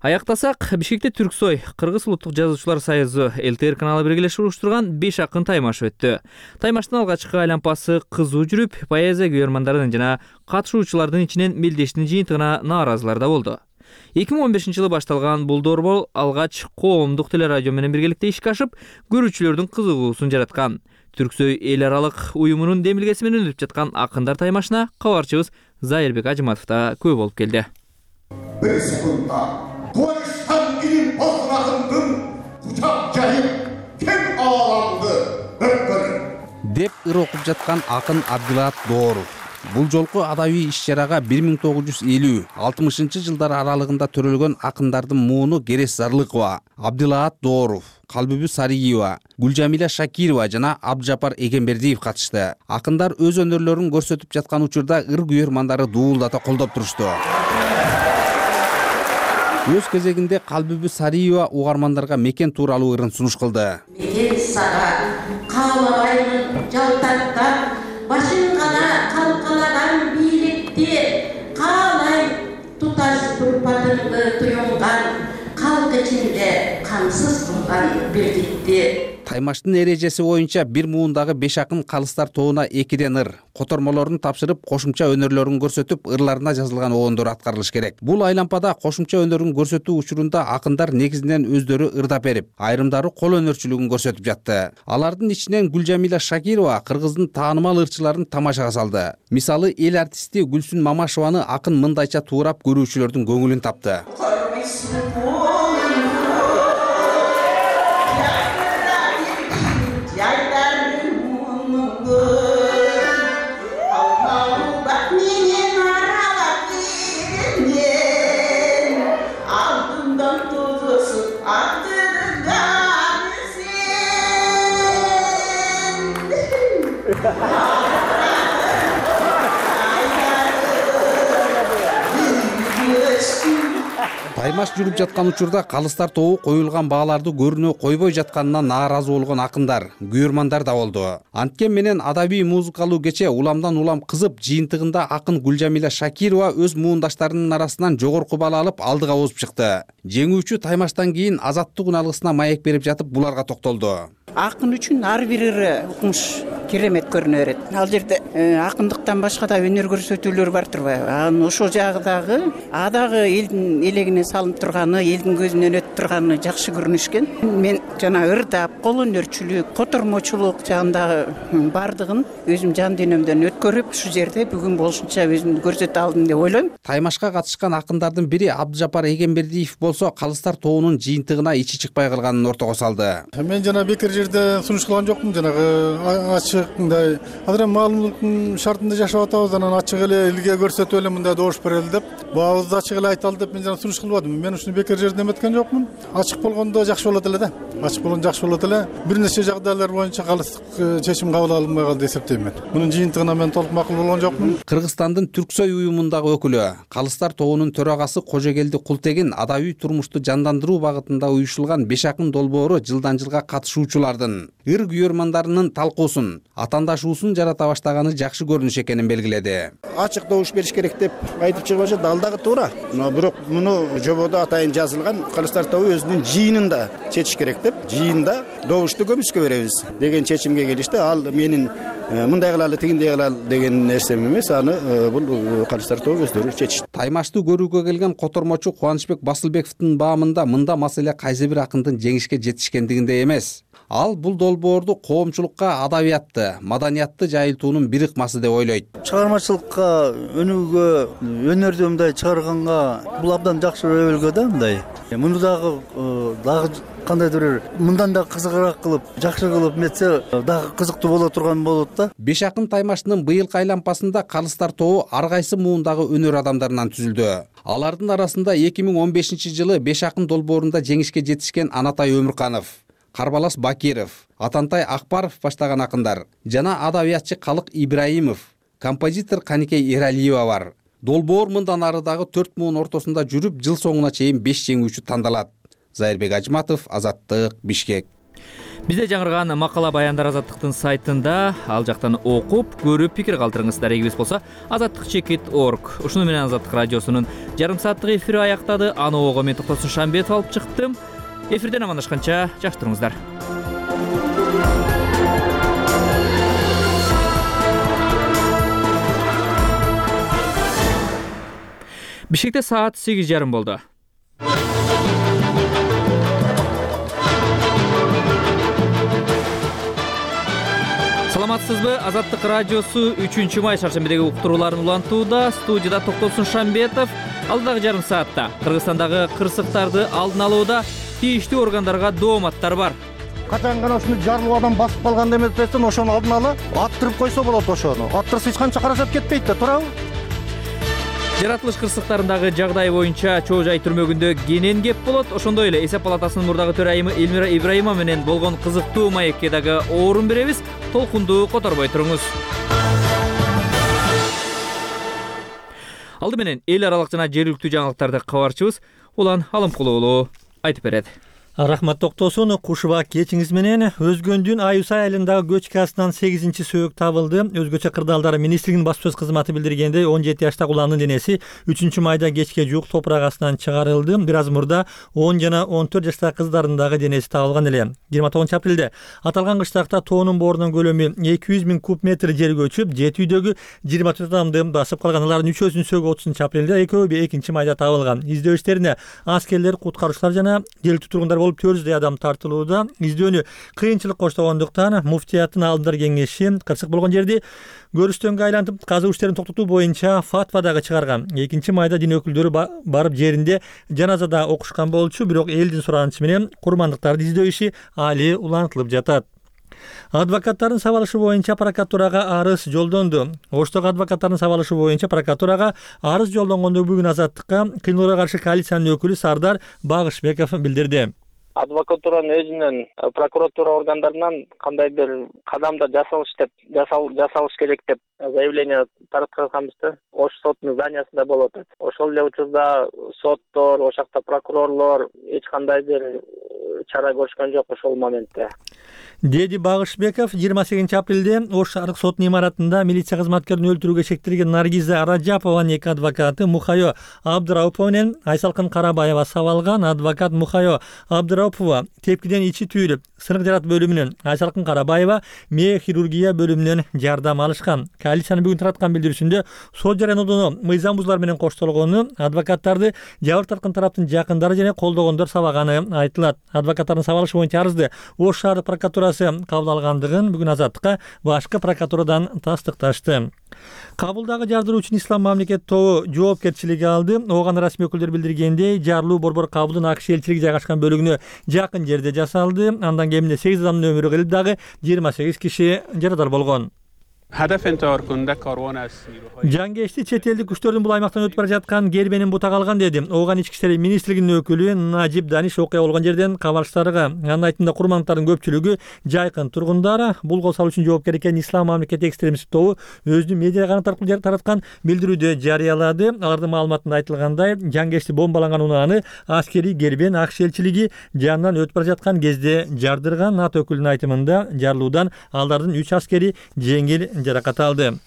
аяктасак, Бишкекте Түрксой Кыргыз улуттук жазуучулар союзу Эл Т Р каналы биргелешип уруштурган беш акын таймаш өттү. Таймаштын алгачкы айланпасы кызуу жүрүп, поэзия күйөрмандардын жана катышуучулардын ичинен мелдештин жыйынтыгына нааразылар да болду. эки миң он бешинчи жылы башталган бул борбор алгач коомдук телерадио менен биргеликте ишке ашып, көрүүчүлөрдүн кызыгуусун жараткан. Түрксой эл аралык уюмунун демилгеси менен өтүп жаткан акындар таймашына кабарчыбыз Зайырбек Ажыматов да көп болуп келди. Бир секундда коюштан кийин болсун акындын кучак жайып кең ааламды өткөрүп деп ыр окуп жаткан акын Абдилаат Дооров. Бул жолку адабий иш-чарага бир миң тогуз жүз элүү алтымышынчы жылдар аралыгында төрөлгөн акындардын мууну Керес Зарлыкова, Абдилаат Дооров, Калбүбү Сариева, Гүлжамиля Шакирова жана Абдыжапар Эгембердиев катышты. Акындар өз өнөрлөрүн көрсөтүп жаткан учурда ыр күйөрмандары дуулдата колдоп турушту. Өз кезегинде Калбүбү Сариева угармандарга мекен тууралуу ырын сунуш кылды. Мекен сага каалабайын жалтаттап, башын гана калкалаган бийликти каалай туташ турпатыңды туюнган калк ичинде камсыз турган бирдикти. Таймаштын эрежеси боюнча бир муундагы беш акын калыстар тобуна экиден ыр, котормолорун тапшырып, кошумча өнөрлөрүн көрсөтүп, ырларына жазылган оондор аткарылыш керек. Бул айлампада кошумча өнөрүн көрсөтүү учурунда акындар негизинен өздөрү ырдап берип, айрымдары кол өнөрчүлүгүн көрсөтүп жатты. Алардын ичинен Гүлжамиля Шакирова кыргыздын таанымал ырчыларын тамашага салды. Мисалы, эл артисти Гүлсүн Мамашеваны акын мындайча туурап көрүүчүлөрдүн көңүлүн тапты. Таймаш жүрүп жаткан учурда калыстар тобу коюлган бааларды көрүнө койбой жатканына нааразы болгон акындар, күйөрмандар да болду. Анткен менен адабий музыкалуу кече уламдан улам кызып, жыйынтыгында акын Гүлжамиля Шакирова өз муундаштарынын арасынан жогорку бала алып алдыга озуп чыкты. Жеңүүчү Таймаштан кийин Азаттык уналгысына маек берип жатып буларга токтолду. Акын үчүн ар бир ыры укмуш керемет көрүнө берет. Ал жерде акындыктан башка да өнөр көрсөтүүлөр бар турбайбы? Анан ошол жагдагы адагы элдин элегине салынып турганы, элдин көзүнөн өтүп турганы жакшы көрүнүшкөн. Мен жана ырдап, кол өнөрчүлүк, котормочулук жагындагы бардыгын өзүм жан дүйнөмдөн өткөрүп, ушу жерде бүгүн болушунча өзүмдү көрсөтө алдым деп ойлойм. Таймашка катышкан акындардын бири Абдыжапар Эгембердиев болсо, калыстар тобунун жыйынтыгына ичи чыкпай калганын ортого салды. Мен жана бекер жерде сунуш кылган жокмун, жанагы ачык мындай азыр маалымдыктын шартында жашап атабыз, анан ачык эле элге көрсөтүп эле мындай добуш берели деп, баабызды ачык эле айталы деп мен жана сунуш кылбадым. Мен ушуну бекер жерде эметкен жокмун. Ачык болгондо жакшы болот эле да. Ачык болгондо жакшы болот эле. Бир нече жагдайлар боюнча калыстык чечим кабыл алынбай калды деп эсептейм мен. Мунун жыйынтыгына мен толук макул болгон жокмун. Кыргызстандын Түрксой уюмундагы өкүлү, калыстар тобунун төрагасы Кожогелди Култегин адабий турмушту жандандыруу багытында уюшулган беш акын долбоору жылдан жылга катышуучулардын, ыр күйөрмандарынын талкуусун, атаандашуусун жарата баштаганы жакшы көрүнүш экенин белгиледи. Ачык добуш бериш керек деп айтып чыгып атышат, ал дагы туура. Бирок муну жободо атайын жазылган калыстар тобу өзүнүн жыйынында чечиш керек деп, жыйында добушту көмүскө беребиз деген чечимге келишти. Ал менин мындай кылалы, тигиндей кылалы деген нерсем эмес, аны бул калыстар тобу өздөрү чечишти. Таймашты көрүүгө келген котормочу Кубанычбек Басылбековдун баамында мында маселе кайсы бир акындын жеңишке жетишкендигинде эмес. Ал бул долбоорду коомчулукка адабиятты, маданиятты жайылтуунун бир ыкмасы деп ойлойт. Чыгармачылыкка, өнүүгө, өнөрдү мындай чыгарганга бул абдан жакшы өбөлгө да мындай. Муну дагы дагы кандайдыр бир мындан да кызыгыраак кылып, жакшы кылып метсе, дагы кызыктуу боло турган болот да. Беш акын таймаштын быйылкы айлампасында калыстар тобу ар кайсы муундагы өнөр адамдарынан түзүлдү. Алардын арасында эки миң он бешинчи жылы беш акын долбоорунда жеңишке жетишкен Анатай Өмүрканов, Карбалас Бакиров, Атантай Акбаров баштаган акындар жана адабиятчы Калык Ибраимов, композитор Каникей Эралиева бар. Долбоор мындан ары дагы төрт муун ортосунда жүрүп, жыл соңуна чейин беш жеңүүчү тандалат. Зайырбек Ажматов, Азаттык, Бишкек. Бизде жаңырган макала баяндар Азаттыктын сайтында, ал жактан окуп, көрүп пикир калтырыңыз. Дарегибиз болсо азаттык чекит точка орг. Ушуну менен Азаттык радиосунун жарым сааттык эфири аяктады. Аны ого мен Токтосун Шамбетов алып чыктым. Эфирден амандашканча жакшы туруңуздар. Бишкекте саат сегиз жарым болду. Саламатсызбы? Азаттык радиосу үчүнчү май шаршембидеги уктурууларын улантууда. Студияда Токтосун Шамбетов. Алдагы жарым саатта Кыргызстандагы кырсыктарды алдын алууда тийиштүү органдарга дооматтар бар. Качан гана ушуну жарлуу адам басып калган эместен ошону алдын ала аттырып койсо болот. Ошону аттырса эч канча каражат кетпейт да, туурабы? Жаратылыш кырсыктарындагы жагдай боюнча Чоо Жай түрмөгүндө кенен кеп болот. Ошондой эле Эсеп палатасынын мурдагы төрайымы Элмира Ибраимова менен болгон кызыктуу маекке дагы орун беребиз. Толкунду которбой туруңуз. Алды менен эл аралык жана жергиликтүү жаңылыктарды кабарчыбыз Улан Алымкулуу айтып берет. Рахмат Токтосун. Кушуба кечиңиз менен Өзгөндүн Аюсай айылындагы көчкү астынан сегизинчи сөөк табылды. Өзгөчө кырдаалдар министрлигинин баспасөз кызматы билдиргендей, он жети жаштагы уландын денеси үчүнчү майда кечке жуук топурак астынан чыгарылды. Бир аз мурда он жана он төрт жаштагы кыздардын дагы денеси табылган эле. жыйырма тогузунчу апрелде аталган кыштакта тоонун боорунун көлөмү эки жүз миң куб метр жер көчүп, жети үйдөгү жыйырма төрт адамды басып калган. Алардын үчөөсүнүн сөөгү отузунчу апрелде, экөө экинчи майда табылган. Издөө иштерине аскерлер, куткаруучулар жана жергиликтүү тургундар болуп төрт жүздөй адам тартылууда. Издөөнү кыйынчылык коштогондуктан муфтияттын алдындар кеңеши кырсык болгон жерди көрүстөнгө айлантып казуу иштерин токтотуу боюнча фатва дагы чыгарган. экинчи майда дин өкүлдөрү барып жеринде жаназада окушкан болчу, бирок элдин суранычы менен курмандыктарды издөө иши али улантылып жатат. Адвокаттардын сабалышы боюнча прокуратурага арыз жолдонду. Оштогу адвокаттардын сабалышы боюнча прокуратурага арыз жолдонгонду бүгүн Азаттыкка кыйноого каршы коалициянын өкүлү Сардар Багышбеков билдирди. Адвокатуранын өзүнөн прокуратура органдарынан кандайдыр кадамдар жасалыш деп жасалыш керек деп заявление таратканбыз да. Ош сотунун зданиясында болуп атат. Ошол эле учурда соттор, ошол жакта прокурорлор эч кандайдыр чара көрүшкөн жок ошол моментте. Деди Багышбеков жыйырма сегизинчи апрелде Ош шаардык сотунун имаратында милиция кызматкерин өлтүрүүгө шектелген Наргиза Раджапованын эки адвокаты Мухайо Абдыраупова менен Айсалкын Карабаева сабалган. Адвокат Мухайо Абдыраупова тепкиден ичи түйүлүп, сынык жарат бөлүмүнөн, Айсалкын Карабаева мээ хирургия бөлүмүнөн жардам алышкан. Коалициянын бүгүн тараткан билдирүүсүндө сот жарыянуудон мыйзам бузуулар менен коштолгону, адвокаттарды жабыр тарткан тараптын жакындары жана колдогондор сабаганы айтылат. Адвокаттардын сабалышы боюнча арызды Ош шаардык прокуратурасы кабыл алгандыгын бүгүн Азаттыкка башкы прокуратурадан тастыкташты. Кабылдагы жардыруучунун Ислам мамлекет тобу жоопкерчилиги алды. Оған расмий өкүлдөр билдиргендей, жарлуу борбор кабылдын АКШ элчилиги жайгашкан бөлүгүнө жакын жерде жасалды. Андан кеминде сегиз адамдын өмүрү кылып, дагы жыйырма сегиз киши жарадар болгон. Жангечти чет элдик күчтөрдүн бул аймактан өтүп бара жаткан кербенин бута калган деди. Ооган ички иштер министрлигинин өкүлү Нажип Даниш окуя болгон жерден кабарчыларга. Анын айтымында курмандыктардын көпчүлүгү жайкын тургундар. Бул кол салуу үчүн жоопкер экенин Ислам мамлекет экстремисттик тобу өзүнүн медиа канат аркылуу тараткан билдирүүдө жарыялады. Алардын маалыматында айтылгандай, Жангечти бомбаланган унааны аскери кербен АКШ элчилиги жанынан өтүп бара жаткан кезде жардырган. НАТО өкүлүнүн айтымында жарлуудан алардын үч аскери жеңил жаракат алды.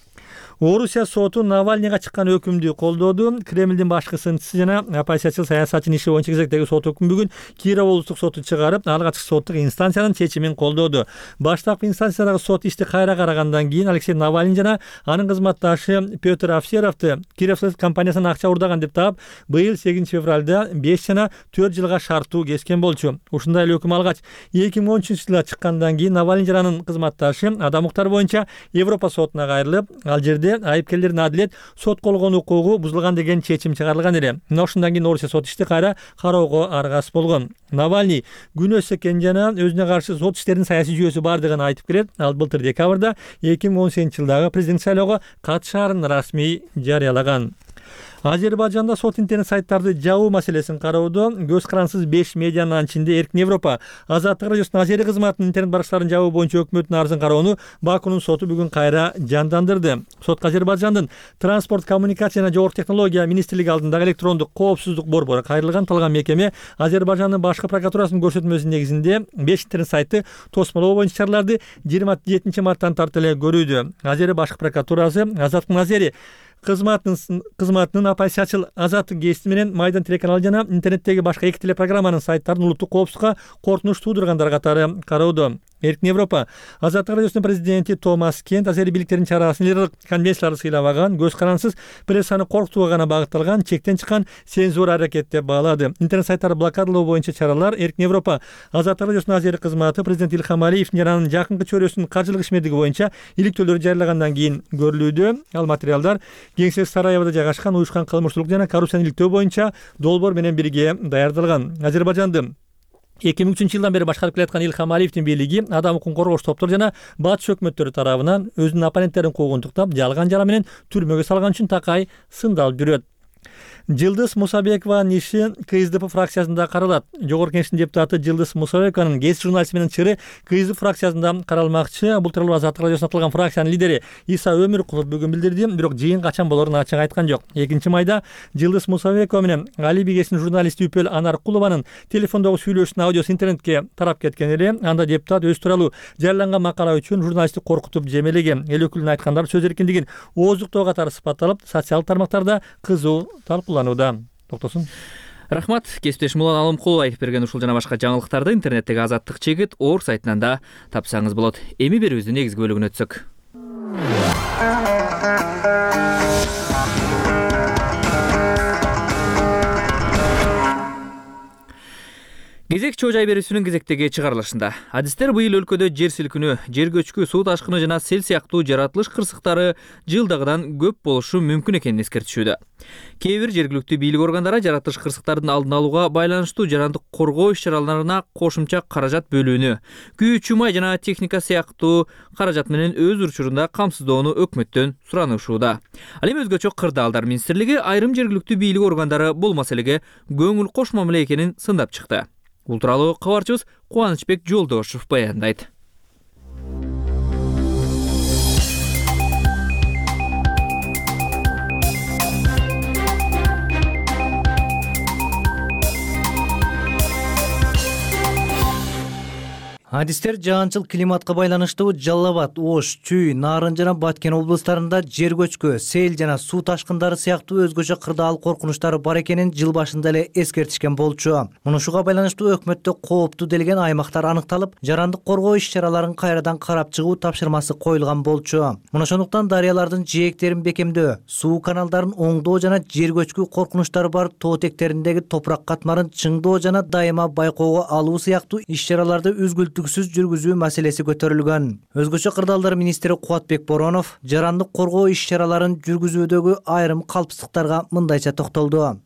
Орусия соту Навальныйга чыккан өкүмдү колдоду. Кремлдин башкы сынчысы жана оппозициячыл саясатчынын иши боюнча кезектеги сот өкүмү бүгүн Киров облустук соту чыгарып, алга ачык соттук инстанциянын чечимин колдоду. Баштапкы инстанциядагы сот ишти кайра карагандан кийин Алексей Навальный жана анын кызматташы Петр Овсеровду Кировск компаниясынан акча урдаган деп таап, быйыл сегизинчи февралда беш жана төрт жылга шарттуу кескен болчу. Ушундай эле өкүм алгач эки миң он үчүнчү жылда чыккандан кийин Навальный жана анын кызматташы адам укуктары боюнча Европа сотуна кайрылып, ал жерде айыпкерлердин адилет сот колгон укугу бузулган деген чечим чыгарылган эле. Мына ушундан кийин Орусия сот ишти кайра кароого аргасыз болгон. Навальный күнөөс экен жана өзүнө каршы сот иштеринин саясий жүйөсү бардыгын айтып келет. Ал былтыр декабрда эки миң он сегизинчи жылдагы президенттик шайлоого катышаарын расмий жарыялаган. Азербайжанда сот интернет сайттарды жабуу маселесин кароодо көз карансыз беш медианын ичинде Эркин Европа Азаттык радиосунун Азери кызматынын интернет баракчаларын жабуу боюнча өкмөттүн арызын кароону Бакунун соту бүгүн кайра жандандырды. Сотко Азербайжандын транспорт, коммуникация жана жогорку технология министрлиги алдындагы электрондук коопсуздук борбору кайрылган. Талган мекеме Азербайжандын башкы прокуратурасынын көрсөтмөсүнүн негизинде беш интернет сайты тосмолоо боюнча чараларды жыйырма жетинчи марттан тарты эле көрүүдө. Азери башкы прокуратурасы Азаттык Азери кызматынын кызматынын оппозициячыл Азаттык гезити менен Майдан телеканалы жана интернеттеги башка эки телепрограмманын сайттарын улуттук коопсузлукка коркунуч туудургандар катары кароодо. Эркин Европа Азаттык радиосунун президенти Томас Кент Азери бийликтеринин чарасын лидерлик конвенцияларды сыйлабаган, көз карансыз прессаны коркутууга гана багытталган чектен чыккан цензура аракет деп баалады. Интернет сайттарды блокадалоо боюнча чаралар Эркин Европа Азаттык радиосунун Азери кызматы президент Илхам Алиевдин жана анын жакынкы чөйрөсүнүн каржылык ишмердиги боюнча иликтөөлөрү жарыялагандан кийин көрүлүүдө. Ал материалдар Кеңсес Сараевода жайгашкан уюшкан кылмыштуулук жана коррупцияны иликтөө боюнча долбоор менен бирге даярдалган. Азербайжанды эки миң үчүнчү жылдан бери башкарып келаткан Илхам Алиевдин бийлиги адам укугун коргоочу топтор жана батыш өкмөттөрү тарабынан өзүнүн оппоненттерин куугунтуктап, жалган жара менен түрмөгө салган үчүн такай сындалып жүрөт. Жылдыз Мусабекованын иши КСДП фракциясында каралат. Жогорку Кеңештин депутаты Жылдыз Мусабекованын гезит журналисти менен чыры КСДП фракциясында каралмакчы. Бул тууралуу Азаттык радиосуна аталган фракциянын лидери Иса Өмүркулов бүгүн билдирди, бирок жыйын качан болорун ачык айткан жок. экинчи майда Жылдыз Мусабекова менен Али Бигесинин журналисти Үпөл Анаркулованын телефондогу сүйлөшүүнүн аудиосу интернетке тарап кеткен эле. Анда депутат өз тууралуу жарыяланган макала үчүн журналистти коркутуп жемелеген. Эл өкүлүнүн айткандары сөз эркиндигин ооздуктоо катары сыпатталып, социалдык тармактарда кызуу талкууланууда. Токтосун. Рахмат, кесиптешим Улан Алымкулов айтып берген ушул жана башка жаңылыктарды интернеттеги Азаттык чекит орг сайтынан да тапсаңыз болот. Эми берүүбүздүн негизги бөлүгүнө өтсөк. Кезек чоо жай берүүсүнүн кезектеги чыгарылышында. Адистер быйыл өлкөдө жер силкинүү, жер көчкү, суу ташкыны жана сел сыяктуу жаратылыш кырсыктары жылдагыдан көп болушу мүмкүн экенин эскертишүүдө. Кээ бир жергиликтүү бийлик органдары жаратылыш кырсыктардын алдын алууга байланыштуу жарандык коргоо иш-чараларына кошумча каражат бөлүүнү, күйүүчү май жана техника сыяктуу каражат менен өз учурунда камсыздоону өкмөттөн суранышууда. Ал эми өзгөчө кырдаалдар министрлиги айрым жергиликтүү бийлик органдары бул маселеге көңүл кошмамылы экенин сындап чыкты. Бул тууралуу кабарчыбыз Кубанычбек Жолдошев баяндайт. Адистер жаанчыл климатка байланыштуу Жалал Абад, Ош, Чүй, Нарын жана Баткен облустарында жер көчкү, сел жана суу ташкындары сыяктуу өзгөчө кырдаал коркунучтары бар экенин жыл башында эле эскертишкен болчу. Мунушуга байланыштуу өкмөттө кооптуу делген аймактар аныкталып, жарандык коргоо иш-чараларын кайрадан карап чыгуу тапшырмасы коюлган болчу. Мына ошондуктан дарыялардын жээктерин бекемдөө, суу каналдарын оңдоо жана жер көчкү коркунучтары бар тоо тектериндеги топурак катмарын чыңдоо жана дайыма байкоого алуу сыяктуу иш-чараларды үзгүлтүк жүргүзүү маселеси көтөрүлгөн. Өзгөчө кырдаалдар министри Кубатбек Боронов жарандык коргоо иш-чараларын жүргүзүүдөгү айрым калпсыздыктарга мындайча токтолду.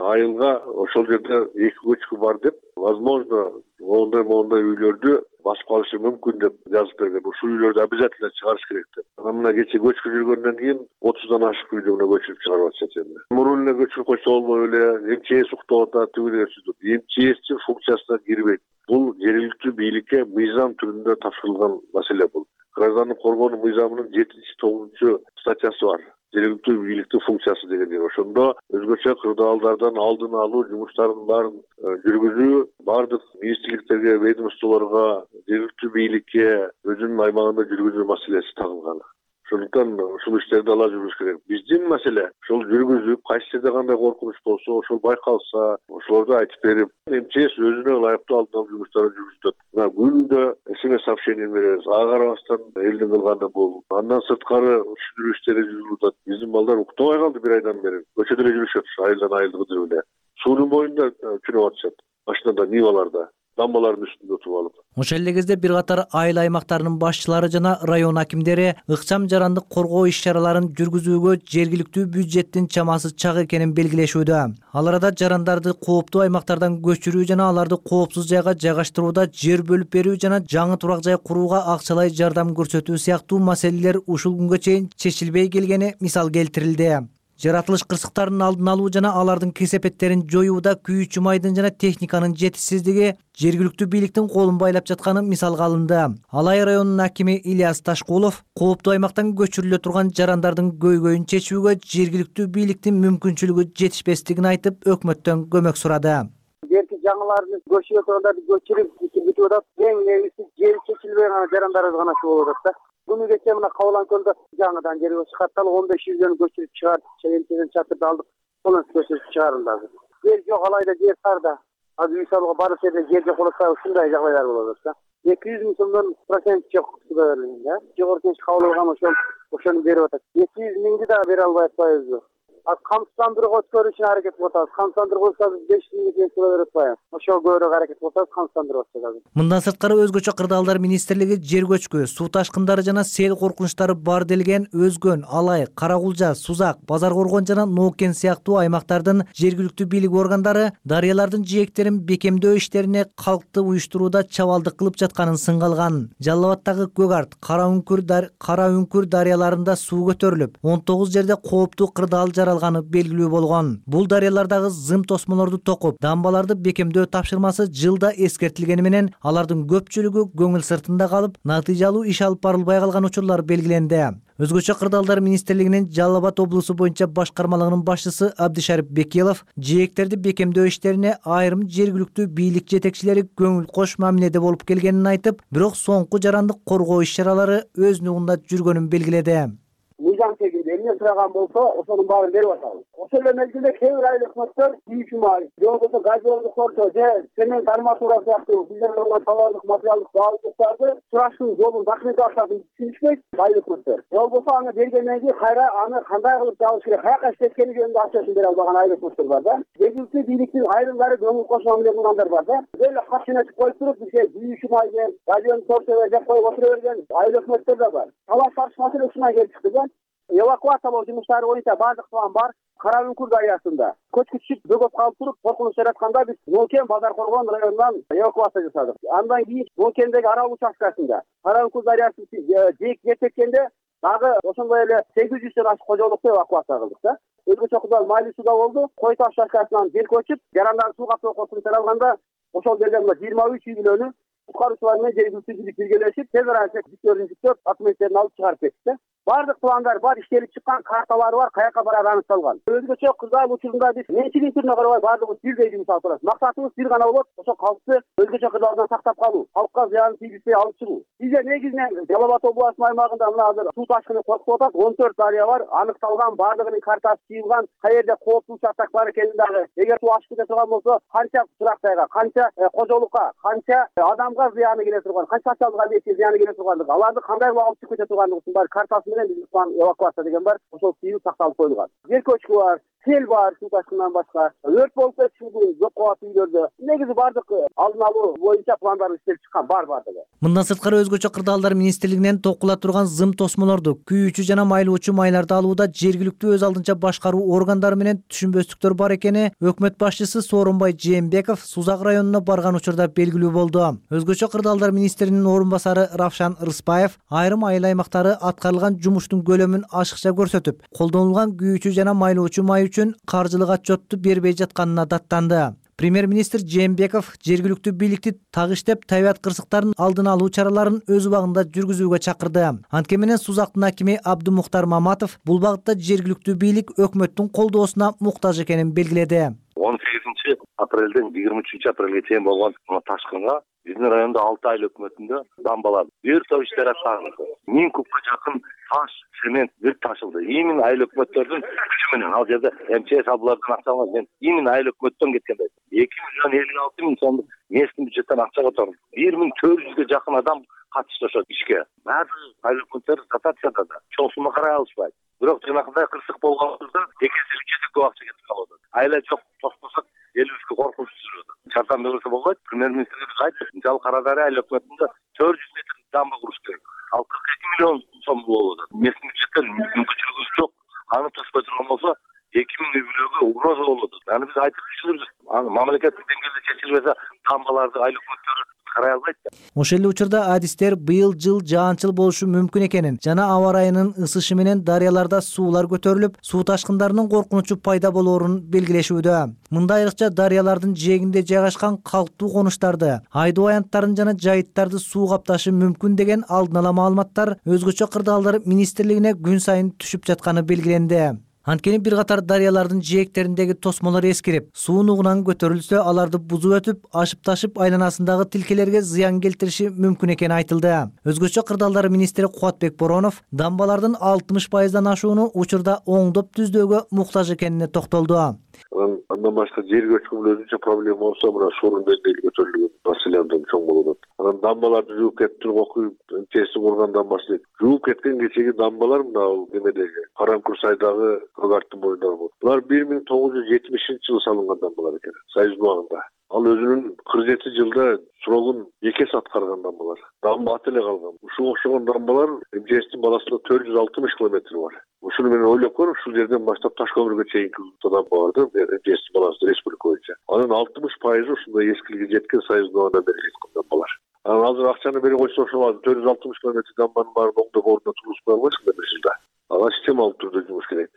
Айылга ошол жерде эки көчкү бар деп, возможно, ондай мондай үйлөрдү басып калышы мүмкүн деп жазып берген. Ушул үйлөрдү обязательно чыгарыш керек деп. Анан мына кече көчкү жүргөндөн кийин отуздан ашык үйдү мына көчүрүп чыгарып атышат эми. Мурун эле көчүрүп койсо болбой эле МЧС уктап атат, тигилер сүзүп. МЧСтин функциясына кирбейт. Бул жергиликтүү бийликке мыйзам түрүндө тапшырылган маселе бул. Граждандык коргоонун мыйзамынын жетинчи тогузунчу статьясы бар. Жергиликтүү бийликтин функциясы деген. Ошондо өзгөчө кырдаалдардан алдын алуу жумуштарынын баарын жүргүзүү, бардык министрликтерге, ведомстволорго, жергиликтүү бийликке өзүнүн аймагында жүргүзүү маселеси тагылган. Ошондуктан ушул иштерди ала жүрүш керек. Биздин маселе ошол жүргүзүп, кайсы жерде кандай коркунуч болсо, ошол байкалса, ошолорду айтып берип, МЧС өзүнө ылайыктуу алдын алуу жумуштарын жүргүзөт. Мына күндө СМС сообщение беребиз. Ага карабастан элдин кылганы бул. Андан сырткары түшүндүрүү иштери жүрүлүп атат. Биздин балдар уктабай калды бир айдан бери. Көчөдө эле жүрүшөт, айылдан айылга кыдырып эле. Суунун боюнда түнөп атышат. Машинада, ниваларда. Дамбалардын үстүндө отуруп алып. Ошол эле кезде бир катар айыл аймактарынын башчылары жана район акимдери ыкчам жарандык коргоо иш-чараларын жүргүзүүгө жергиликтүү бюджеттин чамасы чак экенин белгилешүүдө. Ал арада жарандарды кооптуу аймактардан көчүрүү жана аларды коопсуз жайга жайгаштырууда жер бөлүп берүү жана жаңы турак жай курууга акчалай жардам көрсөтүү сыяктуу маселелер ушул күнгө чейин чечилбей келгени мисал келтирилди. жаратылыш кырсыктарынын алдын алуу жана алардын кесепеттерин жоюуда күйүүчү майдын жана техниканын жетишсиздиги жергиликтүү бийликтин колун байлап жатканы мисалга алынды. Алай районунун акими Ильяс Ташкулов кооптуу аймактан көчүрүлө турган жарандардын көйгөйүн чечүүгө жергиликтүү бийликтин мүмкүнчүлүгү жетишпестигин айтып, өкмөттөн көмөк сурады. Берки жаңыларды көчүрө тургандарды көчүрүп бүтүп атат. Эң негизи жери чечилбей гана жарандарыбыз гана болуп атат да. Күнү кече мына Кабылан көлдө жаңыдан жер чыгартталып он беш жүздөн көчүрүп чыгарды. Чегенчеден чатырды алдык. Сонун көчүрүп чыгарылды. Жер жок, алайда жер тарда. Азыр үй салууга баары жерде жер жок болот, ушундай жагдайлар болуп атат да. эки жүз миң сомдон процент жок да. Жогорку кеңеш кабыл алган ошол ошону берип атат. эки жүз миңди да бере албай атпайбызбы? Камсыздандырууга өткөрүү үчүн аракет кылып атабыз. Камсыздандыруу болсо беш миңге чейин төлөп берип атпайбыз. Ошол көбүрөөк аракет кылып атабыз, камсыздандырып атабыз. Мындан сырткары өзгөчө кырдаалдар министрлиги жер көчкү, суу ташкындары жана сел коркунучтары бар делген Өзгөн, Алай, Каракулжа, Сузак, Базар Коргон жана Ноокен сыяктуу аймактардын жергиликтүү бийлик органдары дарыялардын жээктерин бекемдөө иштерине калкты уюштурууда чабалдык кылып жатканын сынга алган. Жалал Абаддагы Көк Арт, Кара Үңкүр Кара Үңкүр дарыяларында суу көтөрүлүп, он тогуз жерде кооптуу кырдаал алганы белгилүү болгон. Бул дарыялардагы зым тосмолорду токуп, дамбаларды бекемдөө тапшырмасы жылда эскертилгени менен алардын көпчүлүгү көңүл сыртында калып, натыйжалуу иш алып барылбай калган учурлар белгиленди. Өзгөчө кырдаалдар министрлигинин Жалал Абад облусу боюнча башкармалыгынын башчысы Абдишарип Бекелов жээктерди бекемдөө иштерине айрым жергиликтүү бийлик жетекчилери көңүл кош мамиледе болуп келгенин айтып, бирок соңку жарандык коргоо иш-чаралары өз нугунда жүргөнүн белгиледи. Мыйзам тегинде эмне сураган болсо, ошонун баарын берип атабыз. Ошол эле мезгилде кээ бир айыл өкмөттөр күйүүчү май, же болбосо газдолдук корчо, же цемент арматура сыяктуу бизден алган товардык материалдык баалуулуктарды сурашуу жолун документациясын түшүнүшпөйт айыл өкмөттөр. Же болбосо аны бергенден кийин кайра аны кандай кылып жабыш керек, каяка иштеткени жөнүндө акчасын бере албаган айыл өкмөттөр бар да. Жергиликтүү бийликтин айрымдары көңүл кош мамиле кылгандар бар да. Эле кат жөнөтүп коюп туруп, бизге күйүүчү май деп, газдолдук корчо деп коюп отура берген айыл өкмөттөр да бар. Талаш тартыш маселе ушундан келип чыкты да. Эвакуациялоо жумуштары боюнча баардык план бар. Кара Үңкүр дарыясында көчкүчүп бөгөп калып туруп, коркунуч жаратканда биз Ноокен Базар Коргон районунан эвакуация жасадык. Андан кийин Ноокендеги арал участкасында Кара Үңкүр дарыясы жээк жетеккенде дагы ошондой эле сегиз жүздөн ашык кожолукту эвакуация кылдык да. Өзгөчө кырдаал Майлуу сууда болду. Кой таш участкасынан жер көчүп, жарандар сууга коркунуч алганда ошол жерден жыйырма үч үй бүлөнү куткаруучулар менен жергиликтүү бийлик биргелешип, тез арада жүктөрүн жүктөп, документтерин алып чыгарып кетти. Бардык пландар бар, иштелип чыккан, карталары бар, каяка барары аныкталган. Өзгөчө кырдаал учурунда биз менчилик түрүнө карабай бардыгыбыз бирдей жұмыс алып турабыз. Максатыбыз бир гана болот, ошо калкты өзгөчө кырдаалдан сактап калуу, калкка зыянын тийгизбей алып чыгуу. Бизде негизинен Жалал Абад областынын аймагында мына азыр суу ташкыны коркуп атат, он төрт дарыя бар, аныкталган, бардыгынын картасы чыйылган, каерде кооптуу участок бар экенин дагы, эгер суу ашып кете турган болсо, канча турактайга, канча кожолукка, канча адамга зыяны келе турган, канча социалдык объектке зыяны келе тургандыгы, аларды кандай кылып алып чыгып кете тургандыгын бар картасы менен биздин план эвакуация деген бар, ошол тийип сакталып коюлган. Жер көчкү бар, сел бар, суу ташкынынан башка, өрт болуп кетиши жок кабат үйлөрдө. Негизи бардык алдын алуу боюнча пландар иштелип чыккан бар бардыгы. Мындан сырткары өзгөчө кырдаалдар министрлигинен токула турган зым тосмолорду, күйүүчү жана майлоочу майларды алууда жергиликтүү өз алдынча башкаруу органдары менен түшүнбөстүктөр бар экени өкмөт башчысы Сооронбай Жээнбеков Сузак районуна барган учурда белгилүү болду. Өзгөчө кырдаалдар министринин орун басары Равшан Рыспаев айрым айыл аймактары аткарылган жумуштун көлөмүн ашыкча көрсөтүп, колдонулган күйүүчү жана майлоочу май үчүн каржылык отчетту бербей жатканына даттанды. Премьер-министр Жээнбеков жергиликтүү бийликти так иштеп, табият кырсыктарын алдын алуу чараларын өз убагында жүргүзүүгө чакырды. Анткени менен Сузактын акими Абдумухтар Маматов бул багытта жергиликтүү бийлик өкмөттүн колдоосуна муктаж экенин белгиледи. он сегизинчи апрелден жыйырма үчүнчү апрелге чейин болгон ташкынга биздин райондо алты айыл өкмөтүндө дамбалар бир топ иштер аткарылды. миң кубка жакын таш, цемент бүт ташылды. Именно айыл өкмөттөрдүн күчү менен. Ал жерде МЧС абылардын акчасы менен именно айыл өкмөттөн кеткен. эки миллион элүү алты миң сомдук местный бюджеттен акча которду. бир миң төрт жүзгө жакын адам катышты ошол ишке. Баардык айыл өкмөттөр дотацияда да чоң сумма карай алышпайт. Бирок жанагындай кырсык болгонда эки эсе үч эсе көп акча кетип калат. Айла жок тоспосок элибизге коркунуч жүрөт. Жардам берилсе болбойт. Премьер-министрибиз айтты, Жал Карадария айыл өкмөтүндө төрт жүз метр дамба куруш керек. Ал кырк эки миллион сом болот. Местный бюджеттен мүмкүнчүлүгүбүз жок. Аны тоспой турган болсо эки миң үй бүлөгө угроза болот. Аны биз айтып түшүндүрдүк. Аны мамлекеттик деңгээлде чечилбесе, дамбаларды айыл өкмөттөрү карай албайт. Ошол эле учурда адистер быйыл жыл жаанчыл болушу мүмкүн экенин жана аба ырайынын ысышы менен дарыяларда суулар көтөрүлүп, суу ташкындарынын коркунучу пайда болоорун белгилешүүдө. Мында айрыкча дарыялардын жээгинде жайгашкан калктуу конуштарды, айдоо аянттарын жана жайыттарды суу капташы мүмкүн деген алдын ала маалыматтар өзгөчө кырдаалдар министрлигине күн сайын түшүп жатканы белгиленди. Анткени бир катар дарыялардын жээктериндеги тосмолор эскирип, суу нугунан көтөрүлсө, аларды бузуп өтүп, ашып-ташып айланасындагы тилкелерге зыян келтириши мүмкүн экени айтылды. Өзгөчө кырдаалдар министри Кубатбек Боронов дамбалардын алтымыш пайыздан ашууну учурда оңдоп түздөөгө муктаж экенине токтолду. Андан башка жер көчкүнүн өзүнчө проблема болсо, мына суунун деңгээли көтөрүлгөн маселе абдан чоң болот. Анан дамбаларды жууп кетип туруп окуйт, тести курган дамбасы жууп кеткен кечеги дамбалар мына немедеги Карамкүл сайдагы Көгарттын боюндагы. Булар бир миң тогуз жүз жетимишинчи жылы салынган дамбалар экен, Союз убагында. Ал өзүнүн кырк жети жылда срогун эки эсе аткарган дамбалар. Дамба ат эле калган. Ушуга окшогон дамбалар эм жэ эстин баласында төрт жүз алтымыш километр бар. Ушуну менен ойлоп көрүп, ушул жерден баштап Таш көмүргө чейинки дамба барды, эм жэ эстин баласы республика боюнча. Анын алтымыш пайызы ушундай эскиликке жеткен Союз убагында берилген дамбалар. Анан азыр акчаны берип койсо, ошол төрт жүз алтымыш километр дамбанын баарын оңдоп ордуна тургузуп кое албайсың бир жылда. Ага системалык түрдө жумуш керек.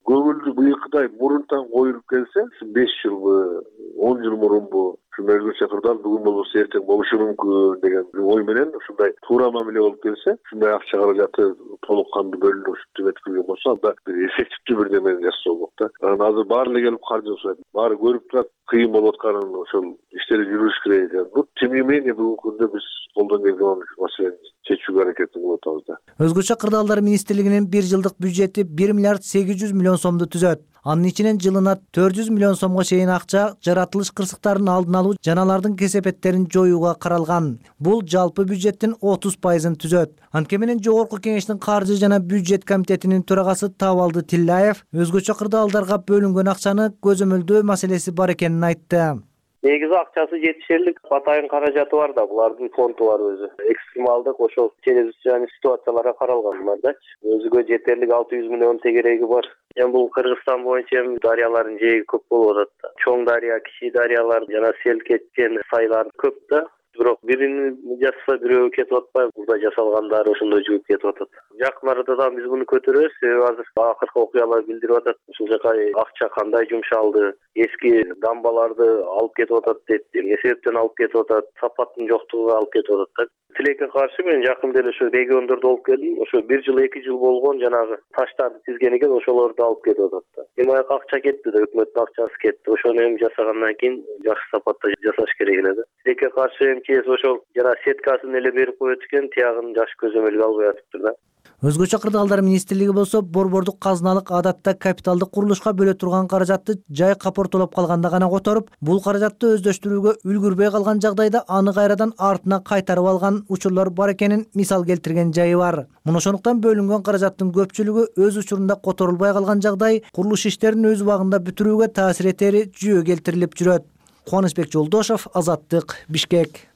Көңүлдү быйылкыдай мурунтан коюлуп келсе, беш жылбы, он жыл мурунбу, ушундай өзгөчө кырдаал бүгүн болбосо эртең болушу мүмкүн деген ой менен ушундай туура мамиле болуп келсе, ушундай акча каражаты толук кандуу бөлүнүп ушинтип эткилген болсо, анда бир эффективдүү бир немени жасоо болот да. Анан азыр баары эле келип каржы сурайт. Баары көрүп турат, кыйын болуп атканын, ошол иштери жүрүш керек экен. Ну, тем не менее, бүгүнкү күндө биз колдон келген маселени чечүүгө аракет кылып атабыз да. Өзгөчө кырдаалдар министрлигинин бир жылдык бюджети бир миллиард сегиз жүз миллион сомду түзөт. Анын ичинен жылына төрт жүз миллион сомго чейин акча жаратылыш кырсыктарын алдын алуу жана алардын кесепеттерин жоюуга каралган. Бул жалпы бюджеттин отуз пайызын түзөт. Анткени менен Жогорку Кеңештин каржы жана бюджет комитетинин төрагасы Табалды Тилляев өзгөчө кырдаалдарга бөлүнгөн акчаны көзөмөлдөө маселеси бар экенин айтты. Негизи акчасы жетишерлик, атайын каражаты бар да, булардын фонду бар өзү. Экстремалдык ошол чечилген ситуацияларга каралган булардачы. Өзүгө жетерлик алты жүз миллион тегереги бар. Эми бул Кыргызстан боюнча дарыялардын жээги көп болуп атат. Чоң дарыя, кичи дарыялар жана сел кеткен сайлар көп да. Бирок бирини жасаса бирөө кетип атпайбы, бурда жасалгандары ошондой жууп кетип атат. Жакын арада да биз буну көтөрөбүз, себеби азыр акыркы окуялар билдирип атат. Ушул жака акча кандай жумшалды, эски дамбаларды алып кетип атат дейт, эмне себептен алып кетип атат, сапаттын жоктугуга алып кетип атат да. Тилекке каршы мен жакында эле ошо региондордо болуп келдим. Ошо бир жыл эки жыл болгон жанагы таштарды тизген экен, ошолорду алып кетип атат да. Эми акча кетти да, өкмөттүн акчасы кетти. Ошону эми жасагандан кийин жакшы сапатта жасаш керек эле да. Тилекке каршы эм жэ эс ошол жана сеткасын эле берип коет экен, тиягын жакшы көзөмөлгө албай атыптыр да. Өзгөчө кырдаалдар министрлиги болсо борбордук казыналык адатта капиталдык курулушка бөлө турган каражатты жай капортолоп калганда гана которуп, бул каражатты өздөштүрүүгө үлгүрбөй калган жагдайда аны кайрадан артына кайтарып алган учурлар бар экенин мисал келтирген жайы бар. Муну ошондуктан бөлүнгөн каражаттын көпчүлүгү өз учурунда которулбай калган жагдай курулуш иштерин өз убагында бүтүрүүгө таасир этери жүйө келтирилип жүрөт. Кубанычбек Жолдошов, Азаттык, Бишкек.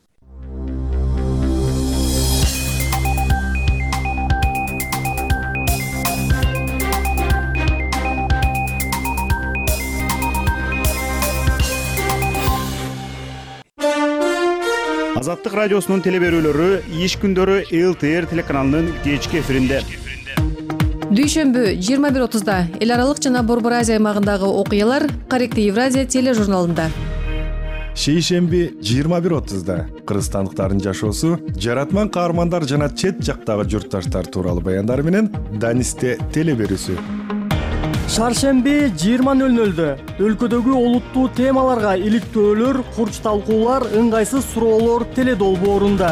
Азаттык радиосунун теле берүүлөрү иш күндөрү эл тэ эр телеканалынын кечки эфиринде. Дүйшөмбү жыйырма бир отузда эл аралык жана Борбор Азия аймагындагы окуялар Корректив Евразия тележурналында. Шейшемби жыйырма бир отузда кыргызстандыктардын жашоосу, жаратман каармандар жана чет жактагы журтташтар тууралуу баяндар менен Данисте теле берүүсү. Шаршемби жыйырма нөл нөлдө өлкөдөгү олуттуу темаларга иликтөөлөр, курч талкуулар, ыңгайсыз суроолор теле долбоорунда.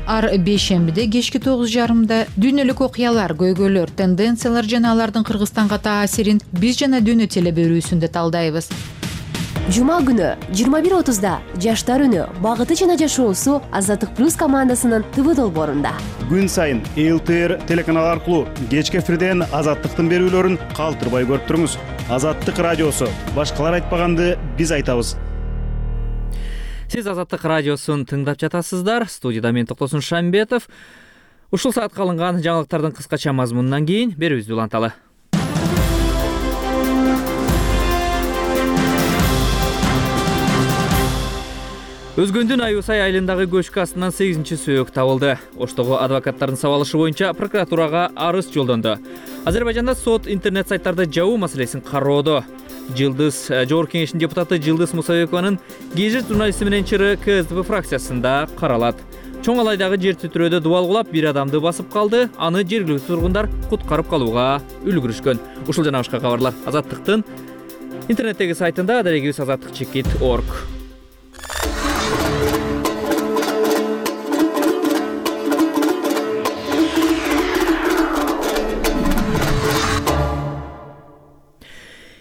Ар бейшембиде кечки тогуз жарымда дүйнөлүк окуялар, көйгөйлөр, тенденциялар жана алардын Кыргызстанга таасирин биз жана дүйнө теле берүүсүндө талдайбыз. Жума күнү жыйырма бир отузда Жаштар үнү, багыты жана жашоосу Азаттык плюс командасынын тэ вэ долбоорунда. Күн сайын эл тэ эр телеканалы аркылуу кечки эфирден Азаттыктын берүүлөрүн калтырбай көрүп туруңуз. Азаттык радиосу, башкалар айтпаганды биз айтабыз. Сиз Азаттык радиосун тыңдап жатасыздар. Студияда мен Токтосун Шамбетов. Ушул саатка алынган жаңылыктардын кыскача мазмунунан кийин берүүбүздү уланталы. Өзгөндүн Аюсай айылындагы көчкү астынан сегизинчи сөөк табылды. Оштогу адвокаттардын сабалышы боюнча прокуратурага арыз жолдонду. Азербайжанда сот интернет сайттарды жабуу маселесин кароодо. Жылдыз Жогорку Кеңештин депутаты Жылдыз Мусабекованын Гежит журналисти менен чыры КСДП фракциясында каралат. Чоң Алайдагы жер титирөөдө дубал кулап бир адамды басып калды. Аны жергиликтүү тургундар куткарып калууга үлгүрүшкөн. Ушул жана башка кабарлар Азаттыктын интернеттеги сайтында, дарегибиз азаттык чекит точка орг.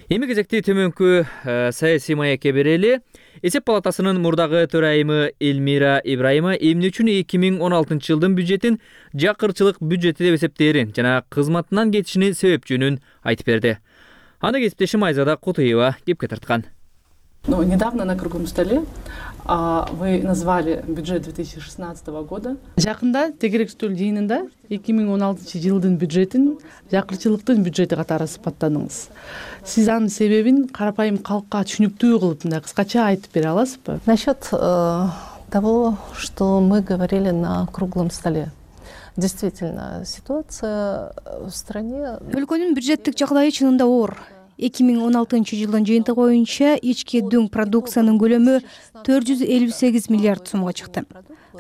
Эми кезекти төмөнкү саясий маекке берели. Эсеп палатасынын мурдагы төрайымы Элмира Ибраимова эмне үчүн эки миң он алтынчы жылдын бюджетин жакырчылык бюджети деп эсептээрин жана кызматынан кетишинин себепчүнүн айтып берди. Аны кесиптешим Айзада Кутуева кепке тарткан. Ну, недавно на круглом столе а, вы назвали бюджет две тысячи шестнадцатого года. Жакында тегерек стөл жыйынында эки миң он алтынчы жылдын бюджетин жакырчылыктын бюджети катары сыпаттадыңыз. Сиз анын себебин карапайым калкка түшүнүктүү кылып мындай кыскача айтып бере аласызбы? Насчет э, того, что мы говорили на круглом столе. Действительно, ситуация в стране... Өлкөнүн бюджеттик жагдайы чынында оор. эки миң он алтынчы жылдын жыйынтыгы боюнча ички дүң продукциянын көлөмү төрт жүз элүү сегиз миллиард сомго чыкты.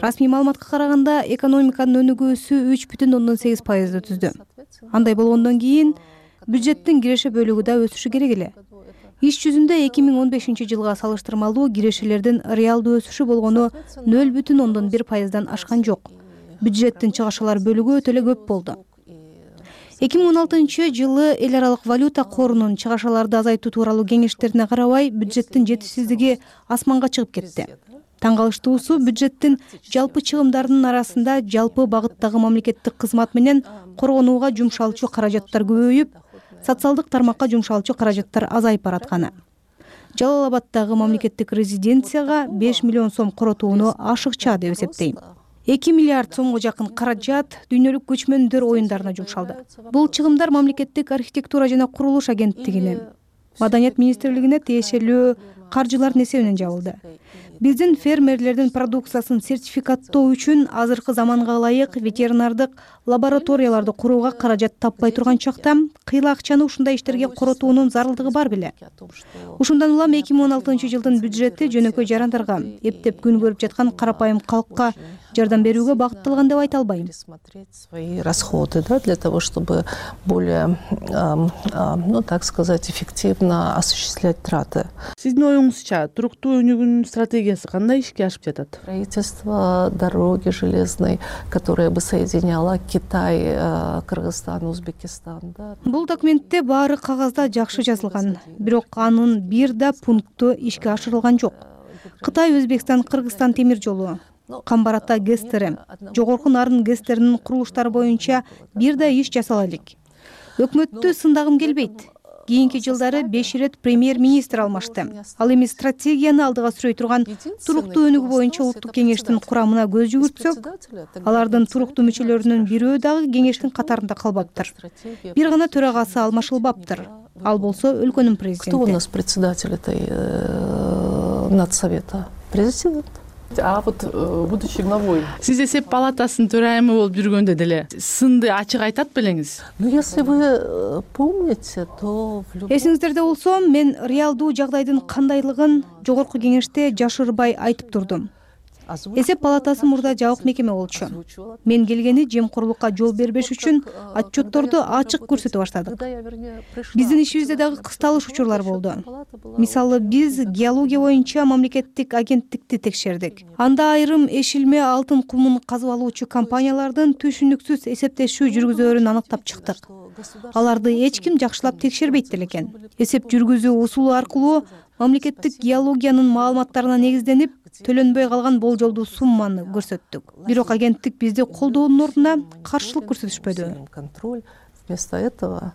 Расмий маалыматка караганда экономиканын өнүгүүсү үч бүтүн ондон сегиз пайызды түздү. Андай болгондон кийин бюджеттин киреше бөлүгү да өсүшү керек эле. Иш жүзүндө эки миң он бешинчи жылга салыштырмалуу кирешелердин реалдуу өсүшү болгону нөл бүтүн ондон бир пайыздан ашкан жок. Бюджеттин чыгашалар бөлүгү өтө эле көп болду. эки миң он алтынчы жылы эл аралык валюта корунун чыгашаларды азайтуу тууралуу кеңештерине карабай бюджеттин жетишсиздиги асманга чыгып кетти. Таң калыштуусу бюджеттин жалпы чыгымдарынын арасында жалпы багыттагы мамлекеттик кызмат менен коргонууга жумшалчу каражаттар көбөйүп, социалдык тармакка жумшалчу каражаттар азайып баратканы. Жалал Абаддагы мамлекеттик резиденцияга беш миллион сом коротууну ашыкча деп эсептейм. эки миллиард сомго жакын каражат дүйнөлүк көчмөндөр оюндарына жумшалды. Бул чыгымдар мамлекеттик архитектура жана курулуш агенттигине, Маданият министрлигине тиешелүү каржылардын эсебинен жабылды. Биздин фермерлердин продукциясын сертификаттоо үчүн азыркы заманга ылайык ветеринардык лабораторияларды курууга каражат таппай турган чакта кыйла акчаны ушундай иштерге коротуунун зарылдыгы бар беле. Ушундан улам эки миң он алтынчы жылдын бюджети жөнөкөй жарандарга, эптеп күн көрүп жаткан карапайым калкка жардам берүүгө багытталган деп айта албайм. Свои расходы, да, для того, чтобы более, ну, так сказать, эффективно осуществлять траты. Сиздин оюңузча туруктуу өнүгүүнүн стратегиясы кандай ишке ашып жатат? Строительство дороги железной, которая бы соединяла Китай, Кыргызстан, Узбекистан. Бул документте баары кагазда жакшы жазылган, бирок анын бир да пункту ишке ашырылган жок. Кытай, Өзбекстан, Кыргызстан темир жолу, Камбар-Ата ГЭСтери, Жогорку Нарын ГЭСтеринин курулуштары боюнча бир да иш жасала элек. Өкмөттү сындагым келбейт. Кийинки жылдары беш ирет премьер-министр алмашты. Ал эми стратегияны алдыга сүрөй турган туруктуу өнүгүү боюнча улуттук кеңештин курамына көз жүгүртсөк, алардын туруктуу мүчөлөрүнүн бирөө дагы кеңештин катарында калбаптыр. Бир гана төрагасы алмашылбаптыр. Ал болсо өлкөнүн президенти. Кто у нас председатель этой надсовета? Президент. А вот будучи главой, сиз эсеп палатасынын төрайымы болуп жүргөндө деле сынды ачык айтат белеңиз? Ну, если вы помните, то эсиңиздерде болсо, мен реалдуу жагдайдын кандайлыгын жогорку кеңеште жашырбай айтып турдум. Эсеп палатасы мурда жабык мекеме болчу. Мен келгени жемкорлукка жол бербеш үчүн отчетторду ачык көрсөтө баштадык. Биздин ишибизде дагы кысталыш учурлар болду. Мисалы, биз геология боюнча мамлекеттик агенттикти текшердик. Анда айрым эшилме алтын кумун казып алуучу компаниялардын түшүнүксүз эсептешүү жүргүзөөрүн аныктап чыктык. Аларды эч ким жакшылап текшербейт экен. Эсеп жүргүзүү усулу аркылуу мамлекеттик геологиянын маалыматтарына негизденип төлөнбөй калган болжолдуу сумманы көрсөттүк. Бирок агенттик бизди колдоонун ордуна каршылык көрсөтүшпөдү. Вместо этого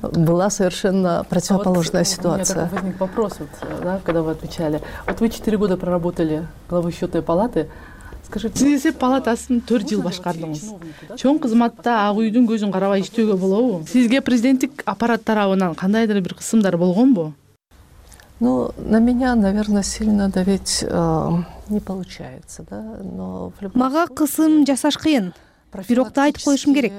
была совершенно противоположная ситуация. У меня возник вопрос, вот, да, когда вы отвечали. Вот вы четыре года проработали главой счетной палаты. Скажите, сиз эсеп палатасын төрт жыл башкардыңыз. Чоң кызматта ак үйдүн көзүн карабай иштөөгө болобу? Сизге президенттик аппарат тарабынан кандайдыр бир кысымдар болгонбу? Ну, на меня, наверное, сильно давить э, не получается, да, но в любом Мага кысым жасаш кыйын. Бирок да айтып коюшум керек.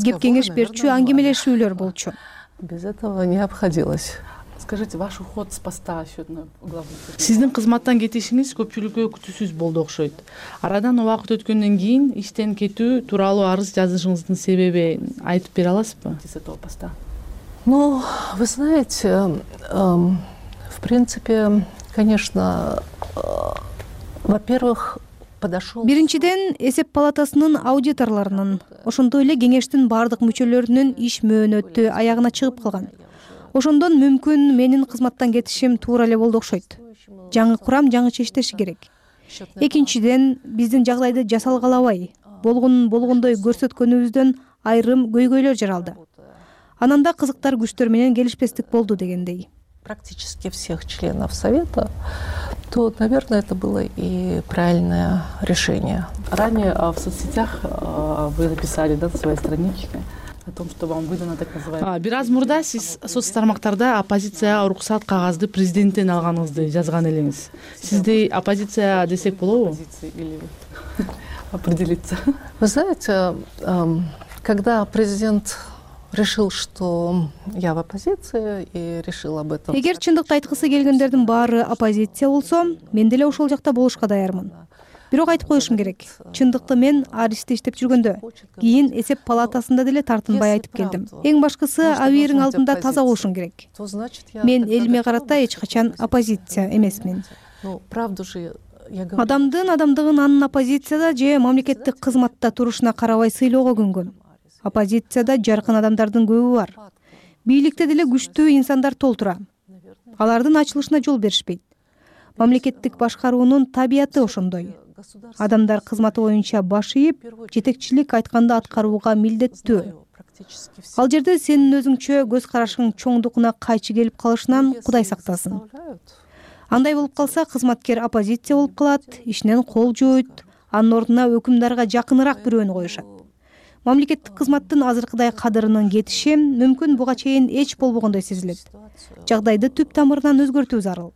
Кеп кеңеш берчү аңгемелешүүлөр болчу. Без этого не обходилось. Скажите, ваш уход с поста счетной главы? Сиздин кызматтан кетишиңиз көпчүлүккө күтүүсүз болду окшойт. Арадан убакыт өткөндөн кийин иштен кетүү тууралуу арыз жазышыңыздын себебин айтып бере аласызбы? С этого поста. Ну, вы знаете, э, в принципе, конечно, э, во-первых, подошел... Биринчиден, эсеп палатасынын аудиторлорунун, ошондой эле кеңештин бардык мүчөлөрүнүн иш мөөнөтү аягына чыгып калган. Ошондон мүмкүн менин кызматтан кетишим туура эле болду окшойт. Жаңы курам жаңыча иштеши керек. Экинчиден, биздин жагдайды жасалгалабай, болгонун болгондой көрсөткөнүбүздөн айрым көйгөйлөр жаралды. Анан да кызыктар күчтөр менен келишпестик болду дегендей. Практически всех членов Совета, то, наверное, это было и правильное решение. Ранее в соцсетях вы написали, да, на своей страничке о том, что вам выдано так называемое. Бир аз мурда сиз соц тармактарда оппозицияга уруксат кагазды президенттен алганыңызды жазган элеңиз. Сизди оппозиция десек болобу? Или определиться? Вы знаете, когда президент решил, что я в оппозиции и решил об этом. Эгер чындыкты айткысы келгендердин баары оппозиция болсо, мен деле ошол жакта болушка даярмын. Бирок айтып коюшум керек. Чындыкты мен Аристе иштеп жүргөндө, кийин эсеп палатасында деле тартынбай айтып келдим. Эң башкысы абийириң алдында таза болушуң керек. Мен элиме карата эч качан оппозиция эмесмин. Ну, правду же я говорю. Адамдын адамдыгын анын оппозицияда же мамлекеттик кызматта турушуна карабай сыйлоого күнгөн. Оппозицияда жаркын адамдардын көбү бар. Бийликте деле күчтүү инсандар толтура. Алардын ачылышына жол беришпейт. Мамлекеттик башкаруунун табияты ошондой. Адамдар кызматы боюнча баш ийип, жетекчилик айтканды аткарууга милдеттүү. Ал жерде сенин өзүңчө көз карашың чоңдугуна кайчы келип калышынан Кудай сактасын. Андай болуп калса, кызматкер оппозиция болуп калат, ишинен кол жууйт, анын ордуна өкүмдарга жакыныраак бирөөнү коюшат. Мамлекеттик кызматтын азыркыдай кадырынын кетиши мүмкүн буга чейин эч болбогондой сезилет. Жагдайды түп тамырынан өзгөртүү зарыл.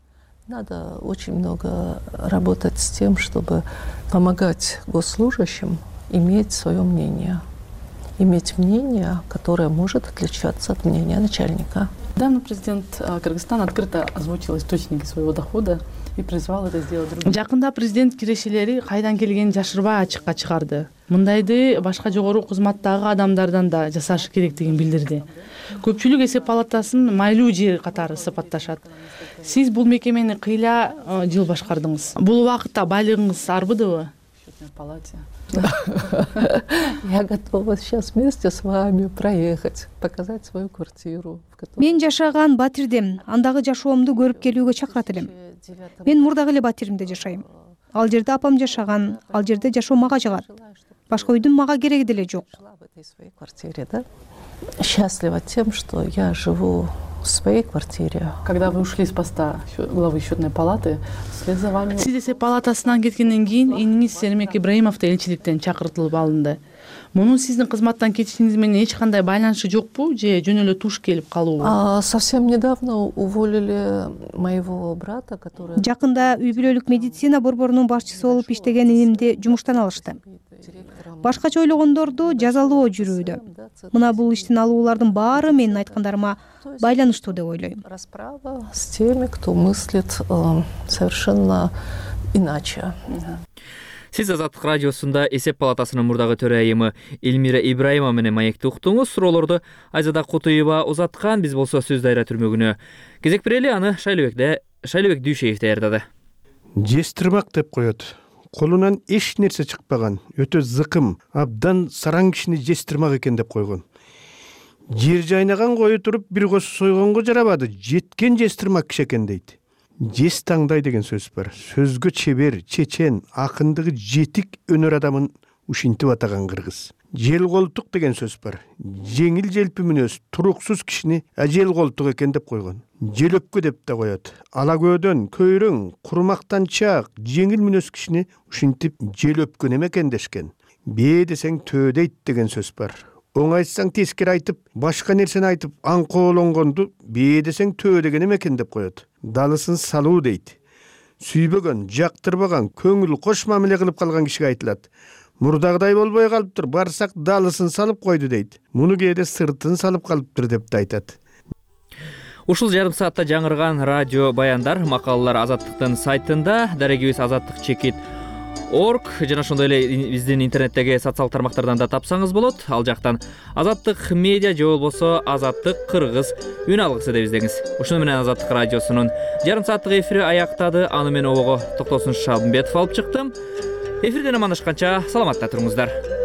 Надо очень много работать с тем, чтобы помогать госслужащим иметь свое мнение. Иметь мнение, которое может отличаться от мнения начальника. Недавно президент Кыргызстана открыто озвучил источники своего дохода и призвал это сделать другим. Жакында президент кирешелери кайдан келгенин жашырбай ачыкка чыгарды. Мындайды башка жогору кызматтагы адамдардан да жасашы керектигин билдирди. Көпчүлүк эсеп палатасын майлуу жер катары сыпатташат. Сиз бул мекемени кыйла жыл башкардыңыз. Бул убакытта байлыгыңыз арбыдыбы? Я готова сейчас вместе с вами проехать, показать свою квартиру. Мен жашаган Батирдем, андагы жашоомду көрүп келүүгө чакырат элем. Мен мурдагы эле Батиримде жашайм. Ал жерде апам жашаган, ал жерде жашоо мага жагат. Башка үйдүн мага кереги деле жок. Счастлива тем, что я живу в своей квартире. Когда вы ушли с поста главы счетной палаты, вслед за вами... Сиз эсеп палатасынан кеткенден кийин эниңиз Сермек Ибраимов элчиликтен чакыртылып алынды. Мунун сиздин кызматтан кетишиңиз менен эч кандай байланышы жокпу же жөн эле туш келип калуубу? Совсем недавно уволили моего брата, который... Жакында үй бүлөлүк медицина борборунун башчысы болуп иштеген инимди жумуштан алышты. Башкача ойлогондорду жазалоо жүрүүдө. Мына бул иштин алуулардын баары менин айткандарыма байланыштуу деп ойлойм. Расправа с теми, кто мыслит э, совершенно иначе. Сиз Азаттык радиосунда эсеп палатасынын мурдагы төрайымы Элмира Ибраимова менен маекти уктуңуз. Суроолорду Айзада Кутуева узаткан, биз болсо сөз дайра түрмөгүнө кезек берели. Аны Шайлыбекде Шайлыбек Дүйшеев даярдады. Жестирмак деп коет. Колунан эч нерсе чыкпаган, өтө зыкым, абдан сараң кишини жестирмак экен деп койгон. Жер жайнаган кою туруп бир кос сойгонго жарабады, жеткен жестирмак киши экен дейт. Жес таңдай деген сөз бар. Сөзгө чебер, чечен, акындыгы жетик өнөр адамын ушинтип атаган кыргыз. Жел колтук деген сөз бар. Жеңил желпи мүнөз, туруксуз кишини ажел колтук экен деп койгон. Желөпкө деп да коет. Ала көөдөн, көйрөң, курмактанчак, жеңил мүнөз кишини ушинтип желөпкөн эме экен дешкен. Бээ десең төө дейт деген сөз бар. оңайтсаң тескери айтып, башка нерсени айтып аңкоолонгонду бээ десең төө деген экен деп коет. Далысын салуу дейт. Сүйбөгөн, жактырбаган, көңүл кош мамиле кылып калган кишиге айтылат. Мурдагыдай болбой калыптыр, барсак далысын салып койду дейт. Муну кээде сыртын салып калыптыр деп да айтат. Ушул жарым саатта жаңырган радио баяндар, макалалар Азаттыктын сайтында, дарегибиз азаттык чекит орг жана ошондой эле биздин интернеттеги социалдык тармактардан да тапсаңыз болот. Ал жактан Азаттык медиа же болбосо Азаттык кыргыз үн алгысы деп издеңиз. Ушуну менен Азаттык радиосунун жарым сааттык эфири аяктады. Аны мен обого Токтосун Шалымбетов алып чыктым. Эфирден амандашканча саламатта туруңуздар.